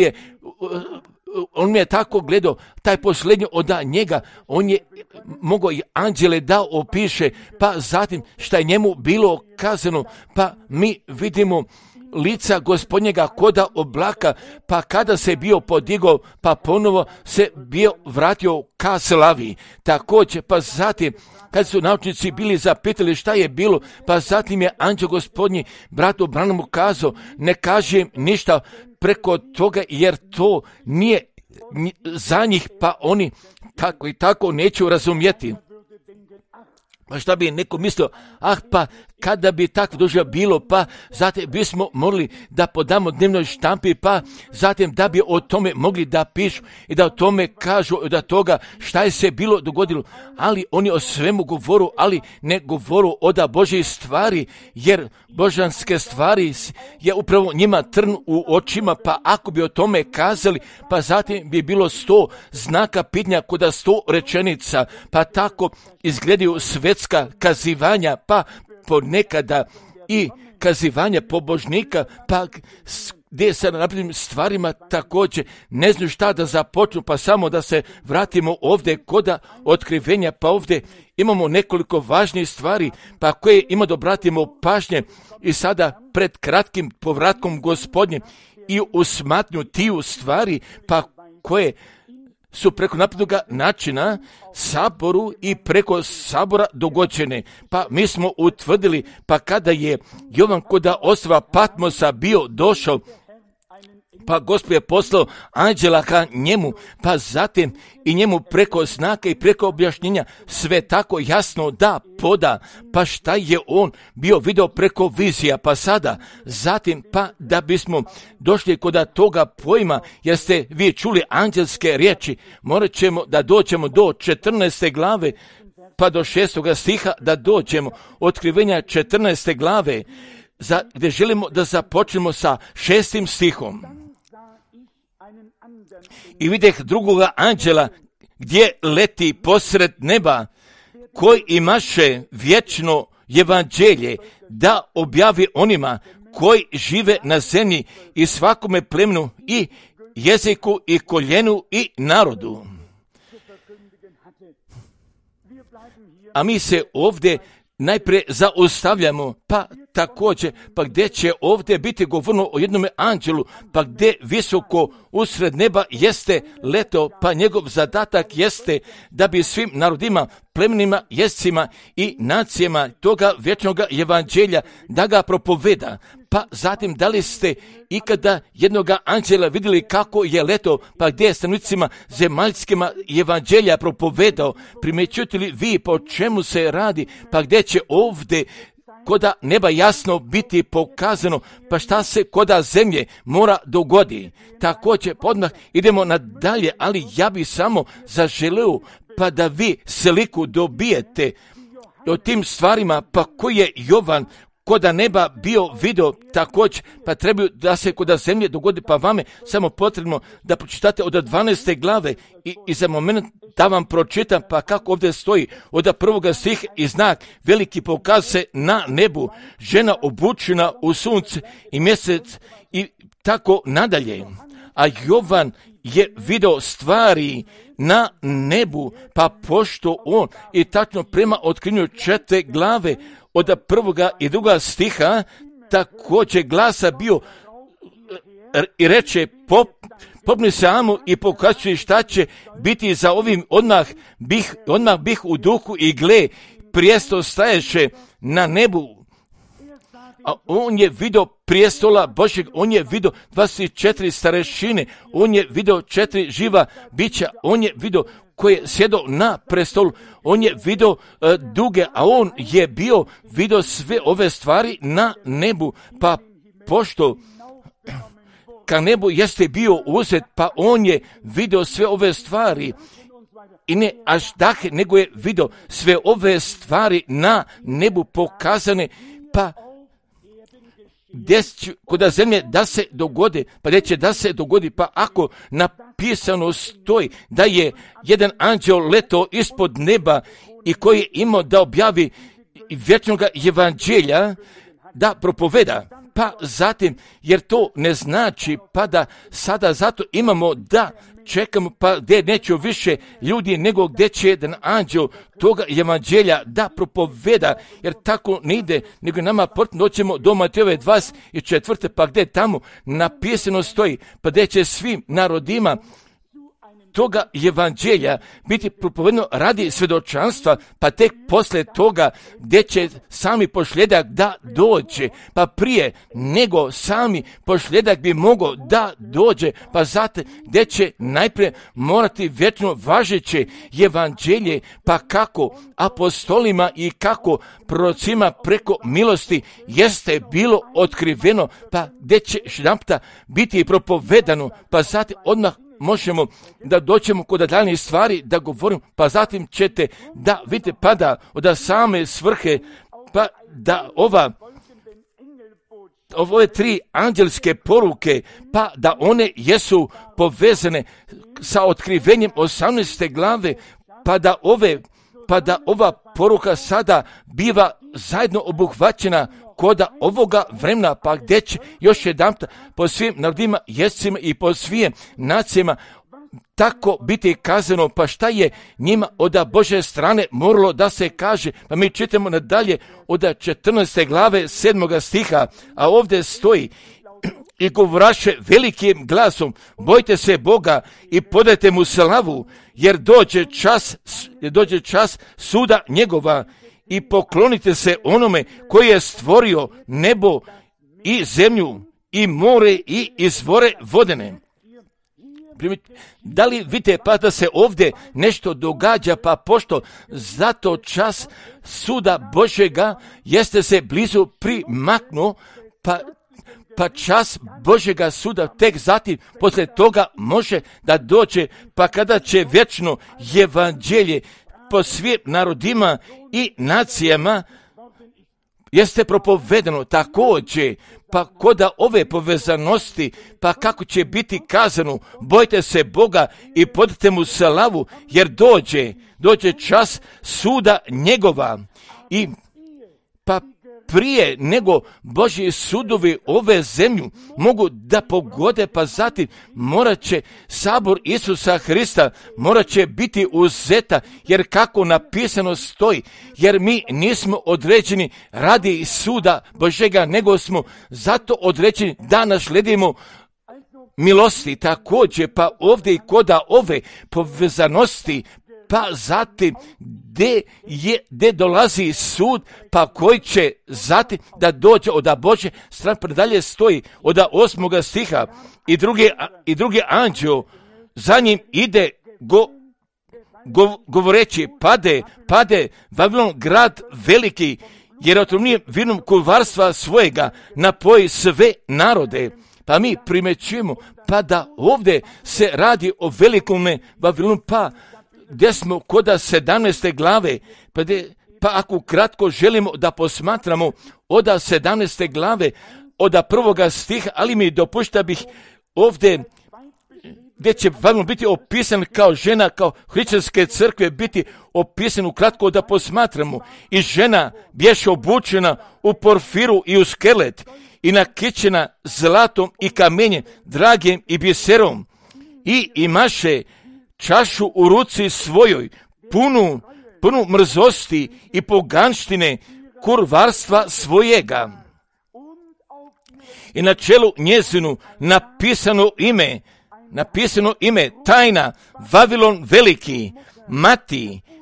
A: mi je tako gledao, taj posljednji od njega, on je mogao i anđele da opiše, pa zatim šta je njemu bilo kazano, pa mi vidimo lica Gospodnjega koda oblaka, pa kada se bio podigao, pa ponovo se bio vratio ka slavi. Također, pa zatim, kad su naučnici bili zapitali šta je bilo, pa zatim je anđeo Gospodnji bratu Branhamu kazao, ne kažem ništa preko toga, jer to nije za njih, pa oni tako i tako neću razumjeti. Pa šta bi neko mislio, pa kada bi tako duže bilo, pa zatim bismo morali da podamo dnevnoj štampi, pa zatim da bi o tome mogli da pišu i da o tome kažu da toga šta je se bilo dogodilo, ali oni o svemu govoru, ali ne govoru od Božje stvari, jer božanske stvari je upravo njima trn u očima, pa ako bi o tome kazali, pa zatim bi bilo 100 znaka pitanja kod 100 rečenica, pa tako izgledaju svetska kazivanja, pa ponekada i kazivanja pobožnika, pa gdje sa naprednim stvarima također ne znaju šta da započnu, pa samo da se vratimo ovdje kod otkrivenja, pa ovdje imamo nekoliko važnih stvari, pa koje ima da obratimo pažnje i sada pred kratkim povratkom Gospodnje i u smatnju tiju stvari, pa koje su preko naprednog načina saboru i preko sabora dogođene. Pa mi smo utvrdili, pa kada je Jovan kod ostrva Patmosa bio došao, pa Gospod je poslao anđela ka njemu, pa zatim i njemu preko znaka i preko objašnjenja sve tako jasno da poda, pa šta je on bio video preko vizija, pa sada, zatim, pa da bismo došli kod toga pojma, jer ste vi čuli anđelske riječi, morat ćemo da dođemo do 14. glave, pa do 6. stiha da dođemo, otkrivenja 14. glave, gdje želimo da započnemo sa 6. stihom. I videh drugoga anđela gdje leti posred neba, koji imaše vječno evanđelje da objavi onima koji žive na zemlji i svakome plemenu i jeziku i koljenu i narodu. A mi se ovdje najprije zaustavljamo, pa također, pa gdje će ovdje biti govorno o jednome anđelu, pa gdje visoko usred neba jeste leto, pa njegov zadatak jeste da bi svim narodima, plemenima, jezicima i nacijama toga vječnog evanđelja da ga propoveda. Pa zatim, da li ste ikada jednoga anđela vidjeli kako je leto, pa gdje je stanovnicima zemaljskima evanđelja propovedao? Primjećujete li vi po čemu se radi, pa gdje će ovdje koda neba jasno biti pokazano, pa šta se koda zemlje mora dogodi. Također, odmah idemo nadalje, ali ja bih samo zaželio pa da vi sliku dobijete o tim stvarima, pa koji je Jovan koda neba bio video također, pa trebaju da se koda zemlje dogodi, pa vame samo potrebno da pročitate od 12. glave i za moment da vam pročitam, pa kako ovdje stoji od 1. stiha i znak veliki pokaz se na nebu, žena obučena u sunce i mjesec i tako nadalje. A Jovan je video stvari na nebu, pa pošto on i tačno prema otkrinju 4. glave od 1. i 2. stiha također glasa bio i reče popni se Amu i pokazuje šta će biti za ovim, odmah bih u duhu i gle, prijestol staješe na nebu. A on je video prijestola Božjeg, on je video 24 starešine, on je video 4 živa bića, on je video koje sjedo na prestolu, on je video duge, a on je video sve ove stvari na nebu, pa pošto ka nebu jeste bio uzet, pa on je video sve ove stvari i ne až dahe, nego je video sve ove stvari na nebu pokazane, pa gdje će kod zemlje da se dogode, pa gdje će da se dogodi, pa ako napisano stoji da je jedan anđeo leto ispod neba i koji je imao da objavi vječnog evanđelja, da propoveda, pa zatim, jer to ne znači, pa da sada zato imamo da čekamo, pa gdje neće više ljudi, nego gdje će jedan anđel toga evanđelja da propoveda, jer tako ne ide, nego nama potrebno doćemo do Matejove 24. pa gdje tamo napisano stoji, pa gdje će svim narodima toga evanđelja biti propovedeno radi svjedočanstva, pa tek poslije toga gdje će sami posljedak da dođe, pa prije nego sami posljedak bi mogao da dođe, pa zato gdje će najprije morati vječno važeće evanđelje, pa kako apostolima i kako prorocima preko milosti jeste bilo otkriveno, pa gdje će jedanputa biti propovedano, pa zatim odmah možemo da doćemo kod daljnjih stvari da govorim, pa zatim ćete da vidite pa da od same svrhe, pa da ove 3 anđelske poruke, pa da one jesu povezane sa otkrivenjem 18. glave, pa da ova poruka sada biva zajedno obuhvaćena koda ovoga vremena, pa gdje će još jedanput po svim narodima, jezicima i po svim nacijama tako biti kazano, pa šta je njima od Bože strane moralo da se kaže, pa mi čitamo nadalje od 14. glave 7. stiha, a ovdje stoji: i govoraše velikim glasom, bojte se Boga i podajte mu slavu, jer dođe čas suda njegova, i poklonite se onome koji je stvorio nebo i zemlju i more i izvore vodene. Da li vidite pa da se ovdje nešto događa, pa pošto zato čas suda Božega jeste se blizu primaknuo, pa čas Božega suda tek zatim poslije toga može da dođe, pa kada će vječno evanđelje po svim narodima i nacijama jeste propovedeno također, pa koda ove povezanosti, pa kako će biti kazano, bojte se Boga i podajte mu slavu, jer dođe čas suda njegova. I pa prije nego Božji sudovi ove zemlju mogu da pogode, pa zatim morat će sabor Isusa Hrista, morat će biti uzeta, jer kako napisano stoji, jer mi nismo određeni radi suda Božega, nego smo zato određeni da nasledimo milosti. Također, pa ovdje i koda ove povezanosti, pa zatim gdje dolazi sud, pa koji će zatim da dođe od Bože strane, predalje stoji od 8. stiha, i drugi anđeo za njim ide govoreći, pade Vavilon grad veliki, jer otrovnijem vinom kurvarstva svojega napoji sve narode. Pa mi primećujemo pa da ovdje se radi o velikom Vavilonu, pa gdje smo koda 17. glave, pa ako kratko želimo da posmatramo od 17. glave, od 1. stiha, ali mi dopušta bih ovdje gdje će Vavilon biti opisan kao žena, kao hrišćanske crkve biti opisan ukratko da posmatramo. I žena bješe obučena u porfiru i u skelet i nakićena zlatom i kamenjem, dragim i biserom, i imaše čašu u ruci svojoj, punu mrzosti i poganštine kurvarstva svojega. I na čelu njezinu napisano ime tajna, Vavilon veliki,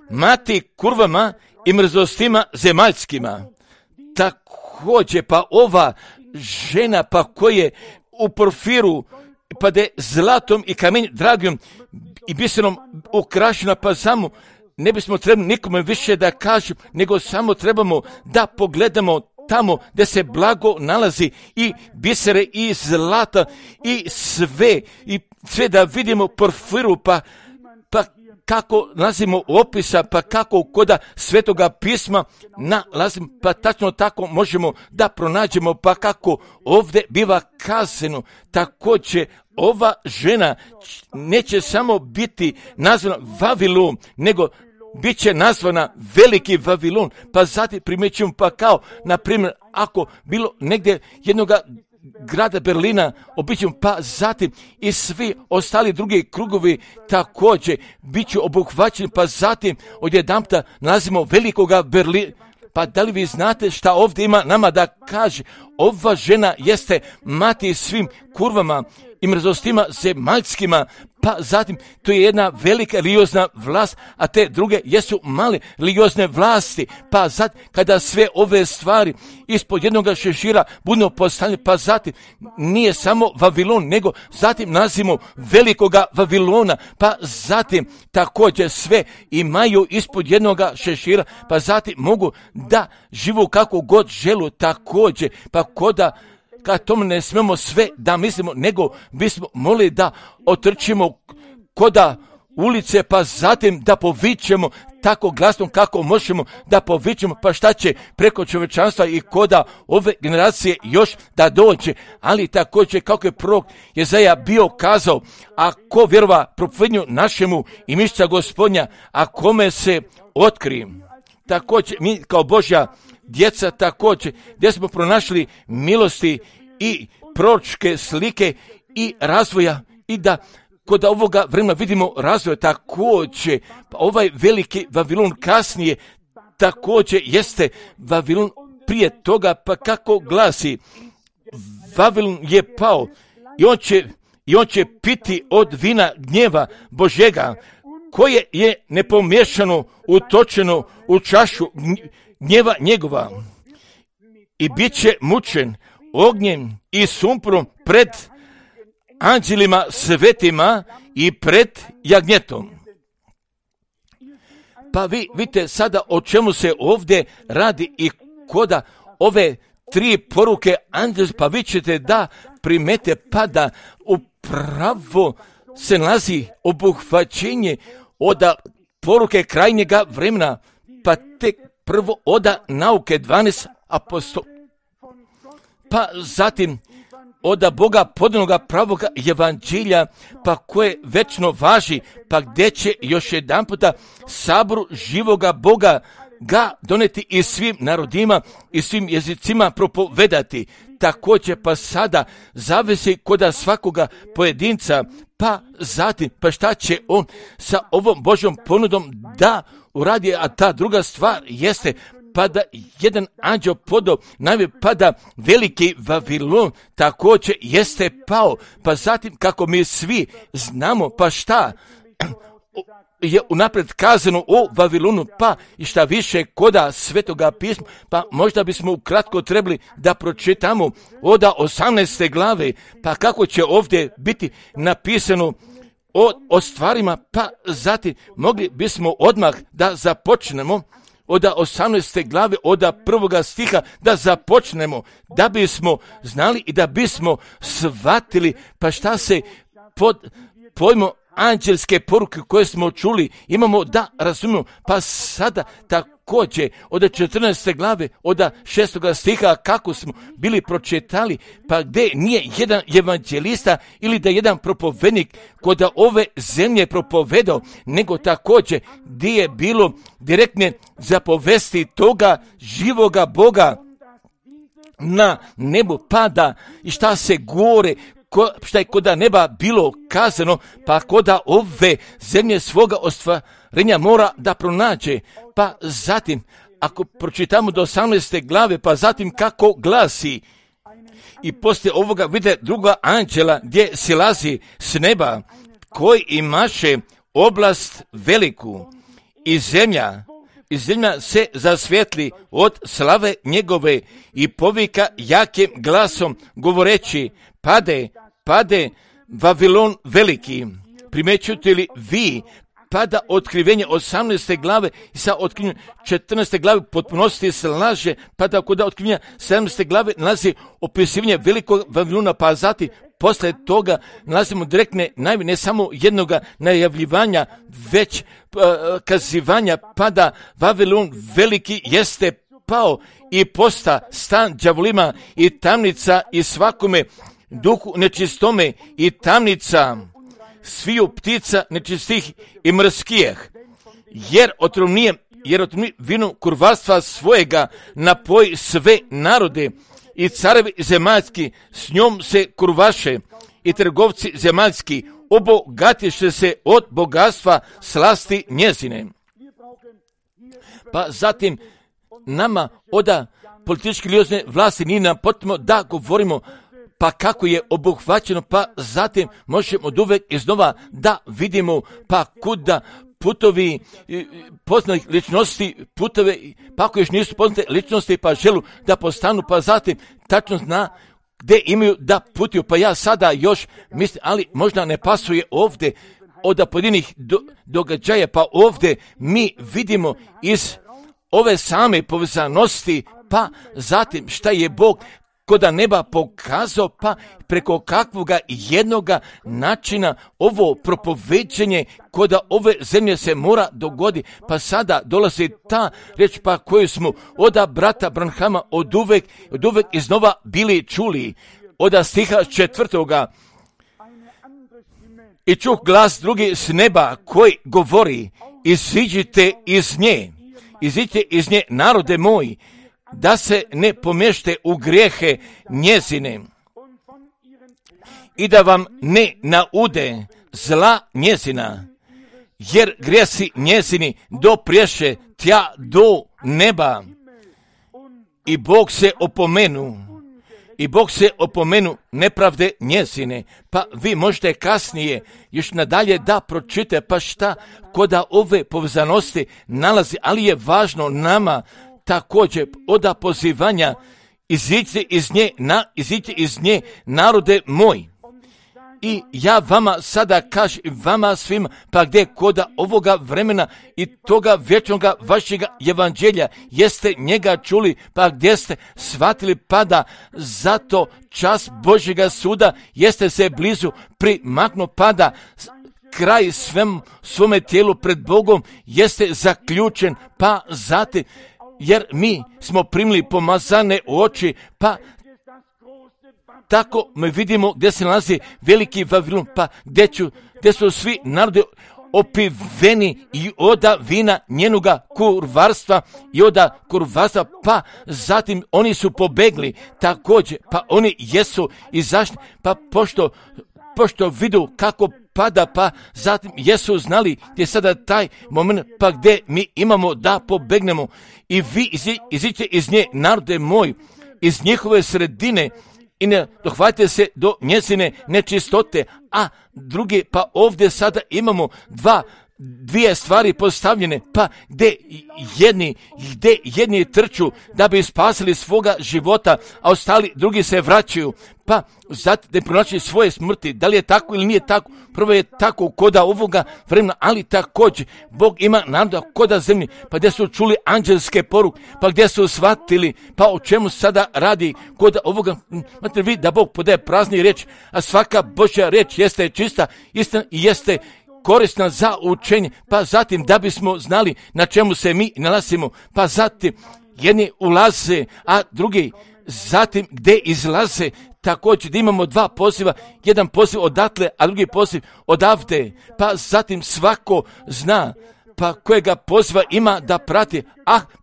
A: mati kurvama i mrzostima zemaljskima. Također, pa ova žena, pa koje u porfiru, pa de zlatom i kamenjem dragom i biserom ukrašena, pa samo ne bismo trebali nikome više da kažem, nego samo trebamo da pogledamo tamo gdje se blago nalazi, i bisere i zlata i sve da vidimo porfiru, pa kako nalazimo opisa, pa kako koda Svetoga pisma nalazimo, pa tačno tako možemo da pronađemo, pa kako ovdje biva kazano. Također ova žena neće samo biti nazvana Vavilon, nego bit će nazvana veliki Vavilon. Pa zatim primećujemo, pa kao na primjer ako bilo negdje jednoga grada Berlina običajom, pa zatim i svi ostali drugi krugovi također bit će obuhvaćeni, pa zatim odjedanputa nalazimo velikoga Berlina. Pa da li vi znate šta ovdje ima nama da kaže? Ova žena jeste mati svim kurvama i mrzostima zemaljskima, pa zatim to je jedna velika religiozna vlast, a te druge jesu male religiozne vlasti. Pa zatim kada sve ove stvari ispod jednoga šešira budu postavljene, pa zatim nije samo Vavilon, nego zatim nazivamo velikoga Vavilona, pa zatim također sve imaju ispod jednoga šešira, pa zatim mogu da živu kako god želu također, pa koda kad tome ne smemo sve da mislimo, nego bismo molili da otrčimo koda ulice, pa zatim da povićemo tako glasno kako možemo da povićemo, pa šta će preko čovječanstva i koda ove generacije još da dođe. Ali također kako je prorok Jezaja bio kazao, ako vjerova propovednju našemu i mišća Gospodnja, a kome se otkri. Također mi kao Božja djeca također, gdje smo pronašli milosti i proročke slike i razvoja i da kod ovoga vremena vidimo razvoj također. Pa ovaj veliki Vavilon kasnije također jeste Vavilon prije toga, pa kako glasi, Vavilon je pao i on će piti od vina gnjeva Božjega, koje je nepomiješano utočeno u čašu gnjeva njegova i bit će mučen ognjem i sumporom pred anđelima svetima i pred jagnjetom. Pa vi vidite sada o čemu se ovdje radi i koda ove 3 poruke anđela, pa vi ćete da primete pa da upravo se nalazi obuhvaćenje od poruke krajnjega vremena, pa tek prvo od nauke 12 apostola, pa zatim od Boga podanoga pravoga evanđelja, pa koje večno važi, pa gdje će još jedan puta saboru živoga Boga ga doneti i svim narodima i svim jezicima propovedati. Također pa sada zavisi kod svakoga pojedinca, pa zatim pa šta će on sa ovom Božjom ponudom da uradi, a ta druga stvar jeste pa da jedan anđeo podao najve, pa da veliki Vavilon također jeste pao, pa zatim kako mi svi znamo pa šta je unaprijed kazano o Vavilonu, pa i šta više koda Svetoga pisma, pa možda bismo ukratko trebali da pročitamo od 18. glave, pa kako će ovdje biti napisano o stvarima, pa zatim mogli bismo odmah da započnemo od 18. glave, od 1. stiha da započnemo, da bismo znali i da bismo shvatili pa šta se pod pojmom anđelske poruke koje smo čuli imamo da razumijemo. Pa sada također od 14. glave, od 6. stiha kako smo bili pročitali, pa gdje nije jedan evanđelista ili da jedan propovednik kod ove zemlje propovedao, nego također gdje je bilo direktne zapovesti toga živoga Boga na nebu pada i šta se gore, šta je koda neba bilo kazano, pa koda ove zemlje svoga ostvarenja mora da pronađe. Pa zatim, ako pročitamo do 18. glave, pa zatim kako glasi, i poslije ovoga vide druga anđela gdje silazi s neba, koji imaše oblast veliku i zemlja se zasvjetli od slave njegove i povika jakim glasom govoreći, pade Vavilon veliki. Primećujete li vi pada otkrivenje 18. glave i sa otkrivenjem 14. glave potpunosti se laže, pada kod otkrivenja 17. glave nalazi opisivanje velikog Vavilona, pa zatim posle toga nalazimo direktne najave, ne samo jednoga najavljivanja, već kazivanja, pada Vavilon veliki jeste pao i posta stan đavolima i tamnica i svakome duhu nečistome i tamnica sviju ptica nečistih i mrskijeh, jer otrovnije vino kurvarstva svojega napoji sve narode i carevi zemaljski s njom se kurvaše i trgovci zemaljski obogatiše se od bogatstva slasti njezine. Pa zatim nama od političke religiozne vlasti nije nam potrebno da govorimo pa kako je obuhvaćeno, pa zatim možemo od uvek iznova da vidimo pa kuda putovi poznatih ličnosti, putove, pa ako još nisu poznate ličnosti pa želu da postanu, pa zatim tačno zna gdje imaju da putuju. Pa ja sada još mislim, ali možda ne pasuje ovdje od pojedinih događaja, pa ovdje mi vidimo iz ove same povezanosti, pa zatim šta je Bog koda neba pokazao, pa preko kakvoga jednoga načina ovo propoveđenje koda ove zemlje se mora dogodi. Pa sada dolazi ta reč pa koju smo od brata Branhama od uvek iznova bili čuli. Od stiha 4. I čuh glas drugi s neba koji govori, iziđite iz nje narode moji, da se ne pomješte u grijehe njezine i da vam ne naude zla njezina, jer grijesi njezini dopriješe tja do neba i Bog se opomenu nepravde njezine. Pa vi možete kasnije još nadalje da pročite pa šta koda ove povezanosti nalazi, ali je važno nama također oda pozivanja iziđite iz nje narode moj. I ja vama sada kažem, vama svima, pa gdje koda ovoga vremena i toga vječnoga vašega evanđelja jeste njega čuli, pa gdje ste shvatili, pa da zato čas Božjega suda jeste se blizu primaknuo, pa da kraj svome tijelu pred Bogom jeste zaključen, pa zatim, jer mi smo primili pomazane oči, pa tako mi vidimo gdje se nalazi veliki Vavilon, pa gdje su svi narodi opiveni i oda vina njenoga kurvarstva i oda kurvarstva, pa zatim oni su pobegli također, pa oni jesu izašli, pa pošto vidu kako pada, pa zatim jesu znali gdje je sada taj moment, pa gdje mi imamo da pobegnemo i vi iziđite iz nje narode moj, iz njihove sredine, i ne dohvatite se do njezine nečistote, a drugi, pa ovdje sada imamo dvije stvari postavljene, pa gdje jedni trču da bi spasili svoga života, a ostali drugi se vraćaju, pa zato da pronaći svoje smrti. Da li je tako ili nije tako? Prvo je tako koda ovoga vremena, ali također Bog ima naroda koda zemlji, pa gdje su čuli anđelske poruke, pa gdje su shvatili, pa o čemu sada radi koda ovoga. Znate vi da Bog podaje prazni riječ, a svaka Božja riječ jeste čista, istina i jeste korisna za učenje, pa zatim da bismo znali na čemu se mi nalazimo, pa zatim jedni ulaze, a drugi zatim gdje izlaze, također da imamo dva poziva, jedan poziv odatle, a drugi poziv odavde, pa zatim svako zna pa kojega poziva ima da prati,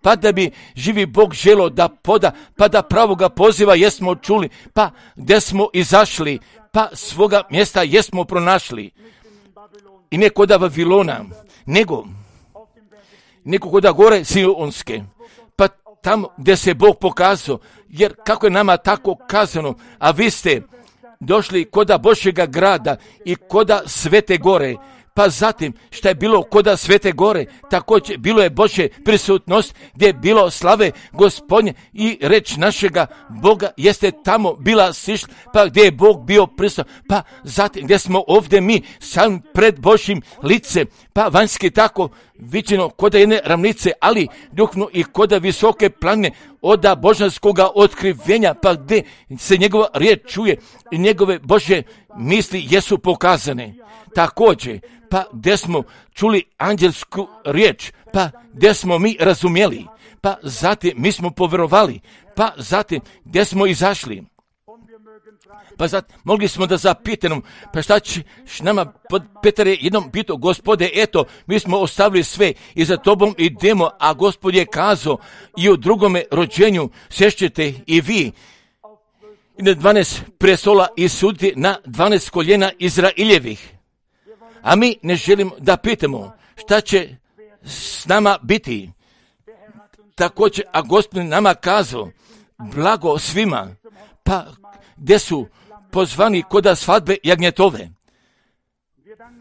A: pa da bi živi Bog želo da poda, pa da pravoga poziva jesmo čuli, pa gdje smo izašli, pa svoga mjesta jesmo pronašli. I ne koda Vavilona, nego koda gore Sionske, pa tamo gdje se Bog pokazao, jer kako je nama tako kazano, a vi ste došli koda Božjega grada i koda Svete gore, pa zatim šta je bilo koda Svete gore, također bilo je Božje prisutnost gdje je bilo slave Gospodnje i reč našega Boga jeste tamo bila sišla, pa gdje je Bog bio prisutan, pa zatim gdje smo ovdje mi sam pred Božjim licem, pa vanjski tako viđeno koda jedne ravnice, ali duhovno i koda visoke planine oda božanskoga otkrivenja, pa gdje se njegova riječ čuje i njegove Božje misli jesu pokazane. Također, pa gdje smo čuli anđelsku riječ, pa gdje smo mi razumjeli, pa zatim mi smo povjerovali, pa zatim gdje smo izašli. Pa zatim mogli smo da zapitamo, pa šta će nama, Petar je jednom pitao, Gospode, eto, mi smo ostavili sve i za tobom idemo, a Gospod je kazao i u drugome rođenju sješćete i vi i na 12 prestola i suditi na 12 koljena Izraeljevih. A mi ne želimo da pitamo šta će s nama biti. Također, a Gospod nama kazao, blago svima, pa gdje su pozvani koda svadbe jagnjetove.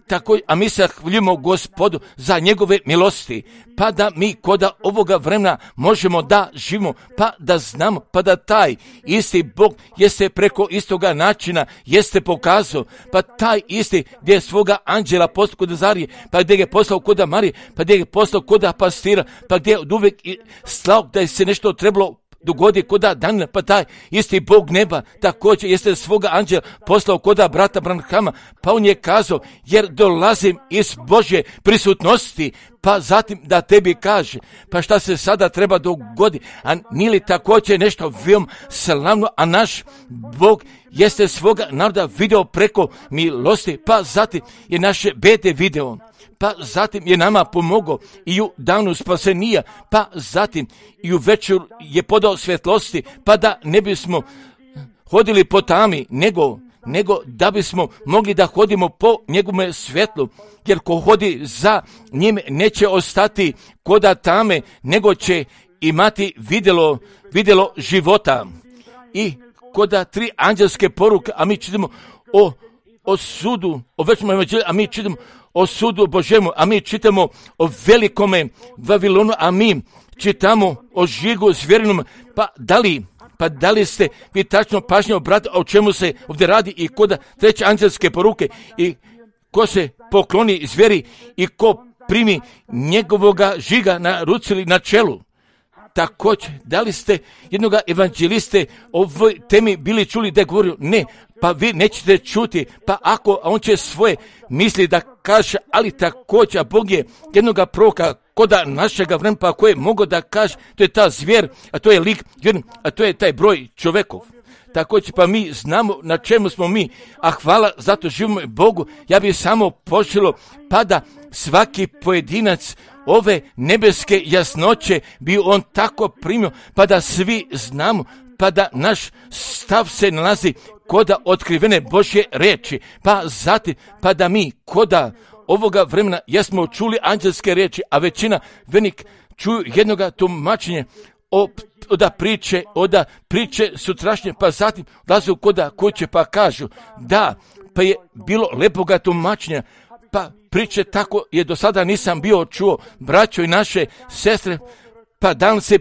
A: Tako, a mi se hvaljujemo Gospodu za njegove milosti, pa da mi koda ovoga vremena možemo da živimo, pa da znamo, pa da taj isti Bog jeste preko istoga načina jeste pokazao, pa taj isti gdje je svoga anđela poslao kod Zarije, pa gdje je poslao koda Marije, pa gdje je poslao koda pastira, pa gdje je od uvijek slao da je se nešto trebalo dogodi koda Danila, pa taj isti Bog neba također jeste svoga anđela poslao koda brata Branhama, pa on je kazao, jer dolazim iz Božje prisutnosti, pa zatim da tebi kaže, pa šta se sada treba dogoditi, a nije li također nešto veoma slavno, a naš Bog jeste svoga naroda video preko milosti, pa zatim je naše bede video, pa zatim je nama pomogao i u danu spasenija, pa zatim i u večer je podao svjetlosti, pa da ne bismo hodili po tami, nego da bismo mogli da hodimo po njegovome svjetlu, jer ko hodi za njim neće ostati koda tame, nego će imati vidjelo života. I koda 3 anđelske poruke, a mi čitamo o sudu, o večnom evanđelju, a mi čitamo o sudu Božjemu, a mi čitamo o velikome Vavilonu, a mi čitamo o žigu zvjerinom, pa da li ste vi tačno pažnje obratili o čemu se ovdje radi i koda 3 anđelske poruke i ko se pokloni zvjeri i ko primi njegovoga žiga na ruci ili na čelu. Također, da li ste jednoga evanđeliste o ovoj temi bili čuli da je govorio? Ne, pa vi nećete čuti, pa ako on će svoje misli da kaže, ali također, a Bog je jednoga proroka koda našega vremena, pa koje mogu da kaže, to je ta zvijer, a to je lik, a to je taj broj čovekov. Također, pa mi znamo na čemu smo mi, a hvala, zato živimo Bogu. Ja bih samo poželio, pa da svaki pojedinac ove nebeske jasnoće bi on tako primio, pa da svi znamo, pa da naš stav se nalazi koda otkrivene Božje riječi, pa zatim, pa da mi koda ovoga vremena jesmo čuli anđelske riječi, a većina venik čuju jednoga tumačenja oda priče sutrašnje, pa zatim odlaze koda kuće pa kažu da, pa je bilo lepoga tumačenja, pa priče tako je do sada nisam bio čuo, braćo i naše sestre, pa dan se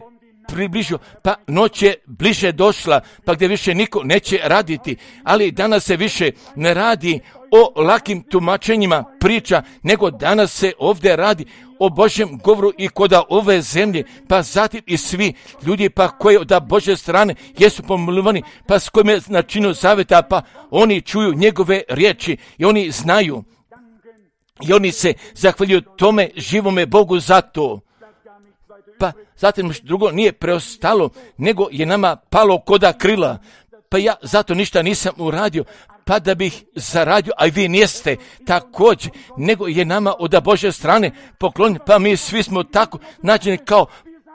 A: približio, pa noć je bliže došla, pa gdje više niko neće raditi, ali danas se više ne radi o lakim tumačenjima priča, nego danas se ovdje radi o Božjem govoru i koda ove zemlje, pa zatim i svi ljudi pa koji od Božje strane jesu pomilovani, pa s kojim je načinu zaveta, pa oni čuju njegove riječi i oni znaju i oni se zahvaljuju tome živome Bogu za to. Pa zatim drugo nije preostalo, nego je nama palo koda krila, pa ja zato ništa nisam uradio, pa da bih zaradio, a i vi niste također, nego je nama od Božje strane poklon, pa mi svi smo tako nađeni kao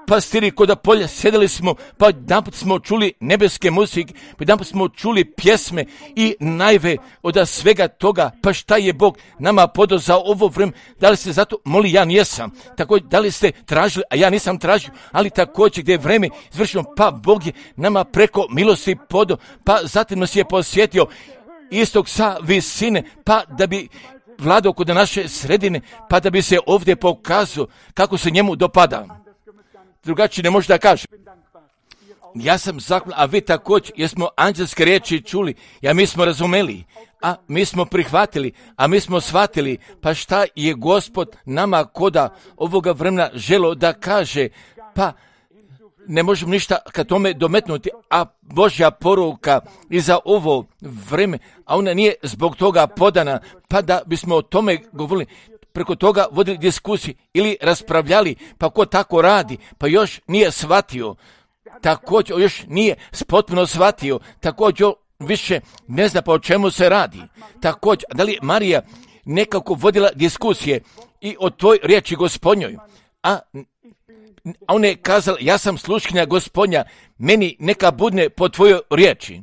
A: pastiri koda polja, sjedili smo, pa jedanput smo čuli nebeske muzike, pa jedanput smo čuli pjesme i najve od svega toga, pa šta je Bog nama podao za ovo vrijeme, da li ste zato moli, ja nisam, također da li ste tražili, a ja nisam tražio, ali također gdje je vrijeme izvršeno, pa Bog je nama preko milosti podao, pa zatim nas je posjetio istog sa visine, pa da bi vladao kod naše sredine, pa da bi se ovdje pokazao kako se njemu dopada. Drugačije ne može da kaže. Ja sam zahvalan, a vi također, jer smo anđelske riječi čuli, a mi smo razumeli, a mi smo prihvatili, a mi smo shvatili, pa šta je Gospod nama koda ovoga vremena želo da kaže, pa ne možemo ništa kad tome dometnuti, a Božja poruka i za ovo vreme, a ona nije zbog toga podana, pa da bismo o tome govorili, preko toga vodili diskusiju ili raspravljali, pa ko tako radi, pa još nije shvatio, također još nije potpuno shvatio, također više ne zna pa o čemu se radi. Također, da li Marija nekako vodila diskusije i o toj riječi Gospodnjoj, a ona je kazala, ja sam sluškinja Gospodnja, meni neka budne po tvojoj riječi.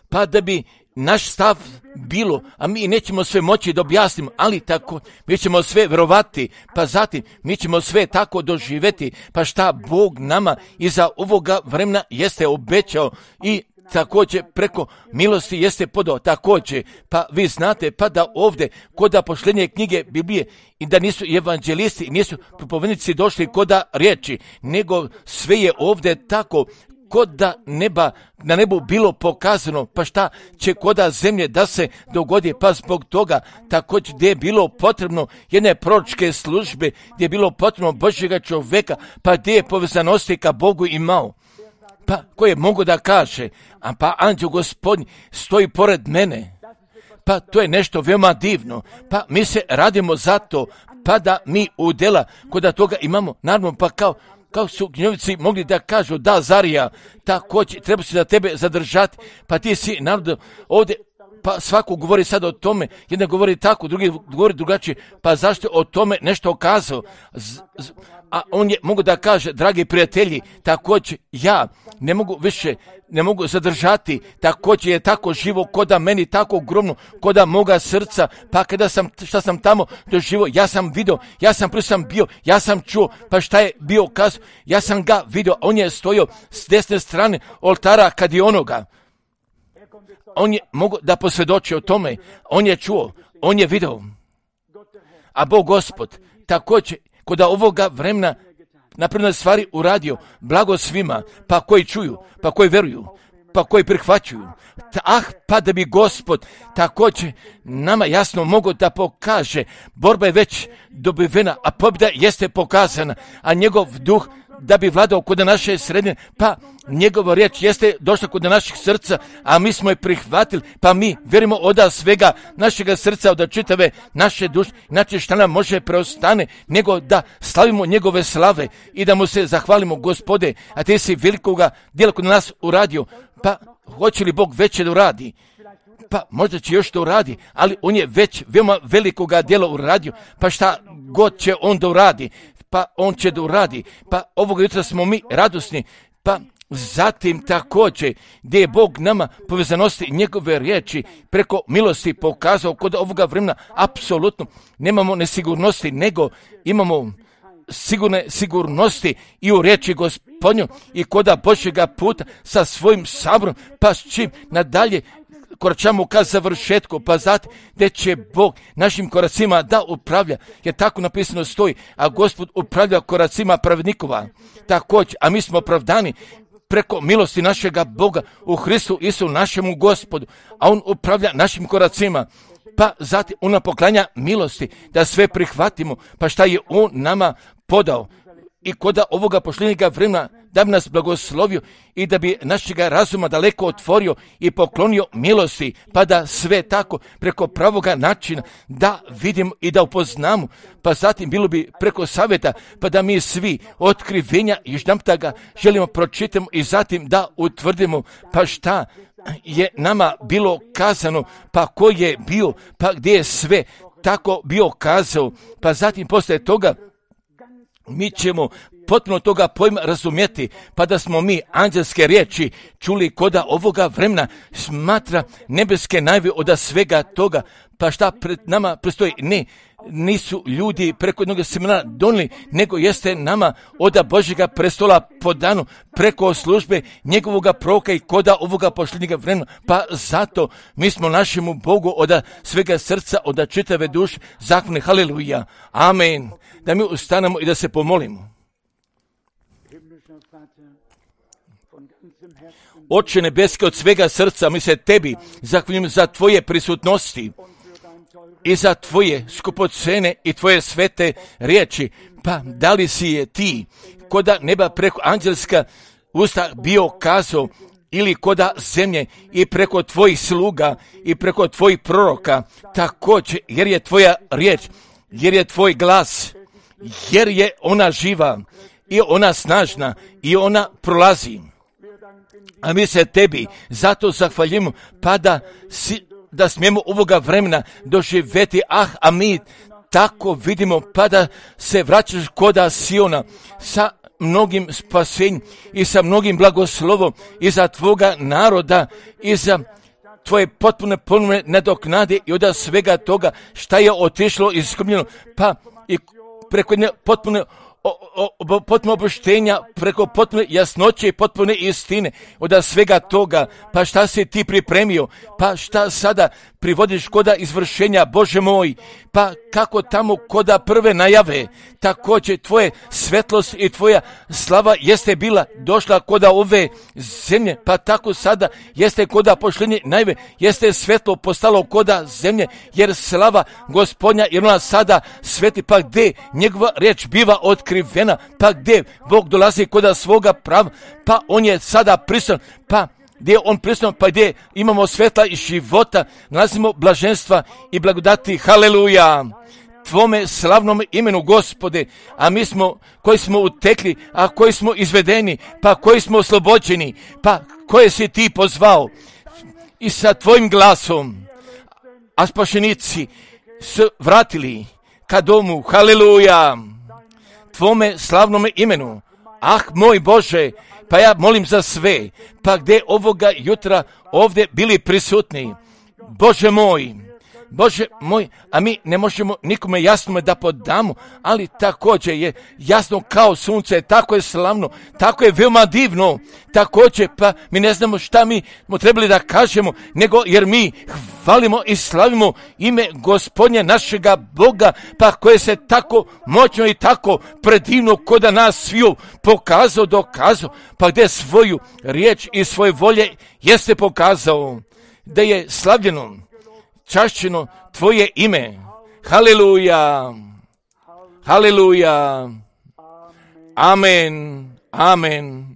A: Pa da bi naš stav bilo, a mi nećemo sve moći da objasnimo, ali tako, mi ćemo sve vjerovati, pa zatim mi ćemo sve tako doživjeti, pa šta Bog nama iza ovoga vremena jeste obećao i također preko milosti jeste podao također, pa vi znate, pa da ovdje koda posljednje knjige Biblije i da nisu evanđelisti, nisu propovednici došli koda riječi, nego sve je ovdje tako, kod da na nebu bilo pokazano, pa šta će koda zemlje da se dogodi, pa zbog toga također gdje je bilo potrebno jedne proročke službe, gdje je bilo potrebno Božjega čovjeka, pa gdje je povezanosti ka Bogu imao, pa koje mogu da kaže, a pa anđeo Gospodnji stoji pored mene,
B: Pa to je nešto veoma divno. Pa mi se radimo zato, pa da mi u dela kod toga imamo, naravno, pa kao su gnjovici mogli da kažu, da, Zarija, također, treba se da tebe zadržati, pa ti si, naravno, ovdje, pa svako govori sad o tome, jedan govori tako, drugi govori drugačije, pa zašto o tome nešto okazao? A on je mogu da kaže, dragi prijatelji, također ja ne mogu zadržati, također je tako živo koda meni, tako ogromno koda moga srca, pa kada šta sam tamo doživio, ja sam vidio, ja sam bio, ja sam čuo, pa šta je bio kazao, ja sam ga vidio, on je stojio s desne strane oltara kad je onoga. On je mogu da posvjedoči o tome, on je čuo, on je vidio. A Bog Gospod također kod ovoga vremena napredne stvari uradio, blago svima, pa koji čuju, pa koji veruju, pa koji prihvaćuju. Pa da bi Gospod također nama jasno mogo da pokaže, borba je već dobivena, a pobjeda jeste pokazana, a njegov duh da bi vladao kod naše sredine, pa njegova riječ jeste došla kod naših srca, a mi smo je prihvatili, pa mi vjerujemo od svega našega srca, od čitave naše duše, znači šta nam može preostane, nego da slavimo njegove slave i da mu se zahvalimo, Gospode, a ti si velikoga djela kod nas uradio, pa hoće li Bog veće da uradi? Pa možda će još to uradi, ali on je već veoma velikoga djela uradio, pa šta god će on da uradi, pa on će da uradi, pa ovoga jutra smo mi radosni, pa zatim također gdje je Bog nama povezanosti njegove riječi preko milosti pokazao kod ovoga vremena, apsolutno nemamo nesigurnosti, nego imamo sigurnosti i u riječi Gospodnju i koda Božjega puta sa svojim saborom, pa s čim nadalje koračamo ka završetku, pa zatim gdje će Bog našim koracima da upravlja, jer tako napisano stoji, a Gospod upravlja koracima pravednikova. Također, a mi smo opravdani preko milosti našega Boga u Hristu Isu našemu Gospodu, a on upravlja našim koracima. Pa zatim on nam poklanja milosti da sve prihvatimo, pa šta je on nama podao. I koda ovoga pošljenjega vremena da bi nas blagoslovio i da bi našega razuma daleko otvorio i poklonio milosti, pa da sve tako preko pravoga načina da vidimo i da upoznamo, pa zatim bilo bi preko savjeta, pa da mi svi otkrivenja još nam ga želimo pročitamo i zatim da utvrdimo, pa šta je nama bilo kazano, pa ko je bio, pa gdje je sve tako bio kazao, pa zatim poslije toga mi ćemo potpuno toga pojma razumjeti, pa da smo mi anđelske riječi čuli koda ovoga vremena smatra nebeske najave od svega toga, pa šta pred nama prestoji? Nisu ljudi preko jednog semena donijeli, nego jeste nama od Božjega prestola podano preko službe njegovoga proroka i koda ovoga pošljenjega vremena, pa zato mi smo našemu Bogu od svega srca, od čitave duše zahvalni. Haleluja, amen. Da mi ustanemo i da se pomolimo. Oče nebeski, od svega srca mi se tebi zahvaljujem za tvoje prisutnosti i za tvoje skupocene i tvoje svete riječi. Pa da li si je ti koda neba preko anđelska usta bio kazao, ili koda zemlje i preko tvojih sluga i preko tvojih proroka, također jer je tvoja riječ, jer je tvoj glas, jer je ona živa i ona snažna i ona prolazi. A mi se tebi zato zahvaljujemo, pa da smijemo ovoga vremena doživjeti, a mi tako vidimo, pa da se vraćaš koda Siona sa mnogim spasenjem i sa mnogim blagoslovom i za tvoga naroda i za tvoje potpune nadoknade i od svega toga šta je otišlo i izgubljeno, pa i preko jedne potpune opuštenja, preko potpune jasnoće i potpune istine od svega toga, pa šta si ti pripremio, pa šta sada privodiš koda izvršenja, Bože moj, pa kako tamo koda prve najave, također tvoje svetlost i tvoja slava jeste bila došla koda ove zemlje, pa tako sada jeste koda pošljenje najave, jeste svetlo postalo koda zemlje, jer slava Gospodnja, jer ona sada sveti, pa gdje njegova riječ biva otkrivena, pa gdje Bog dolazi koda svoga prava, pa on je sada prisutan, pa gdje on prisutno, pa gdje imamo svetla i života, nalazimo blaženstva i blagodati. Haleluja! Tvome slavnom imenu, Gospode, a mi smo, koji smo utekli, a koji smo izvedeni, pa koji smo oslobođeni, pa koje si ti pozvao i sa tvojim glasom, a spašenici su vratili ka domu. Haleluja! Tvome slavnome imenu. Ah, moj Bože, pa ja molim za sve, pa gdje ovoga jutra ovdje bili prisutni. Bože moj, a mi ne možemo nikome jasno da podamo, ali također je jasno kao sunce, tako je slavno, tako je veoma divno, također pa mi ne znamo šta mi smo trebali da kažemo, nego jer mi hvalimo i slavimo ime Gospodnje našega Boga, pa koje se tako moćno i tako predivno koda nas sviju pokazao, dokazao, pa gdje svoju riječ i svoje volje jeste pokazao, da je slavljeno, čašćeno tvoje ime. Haleluja! Haleluja! Amen! Amen!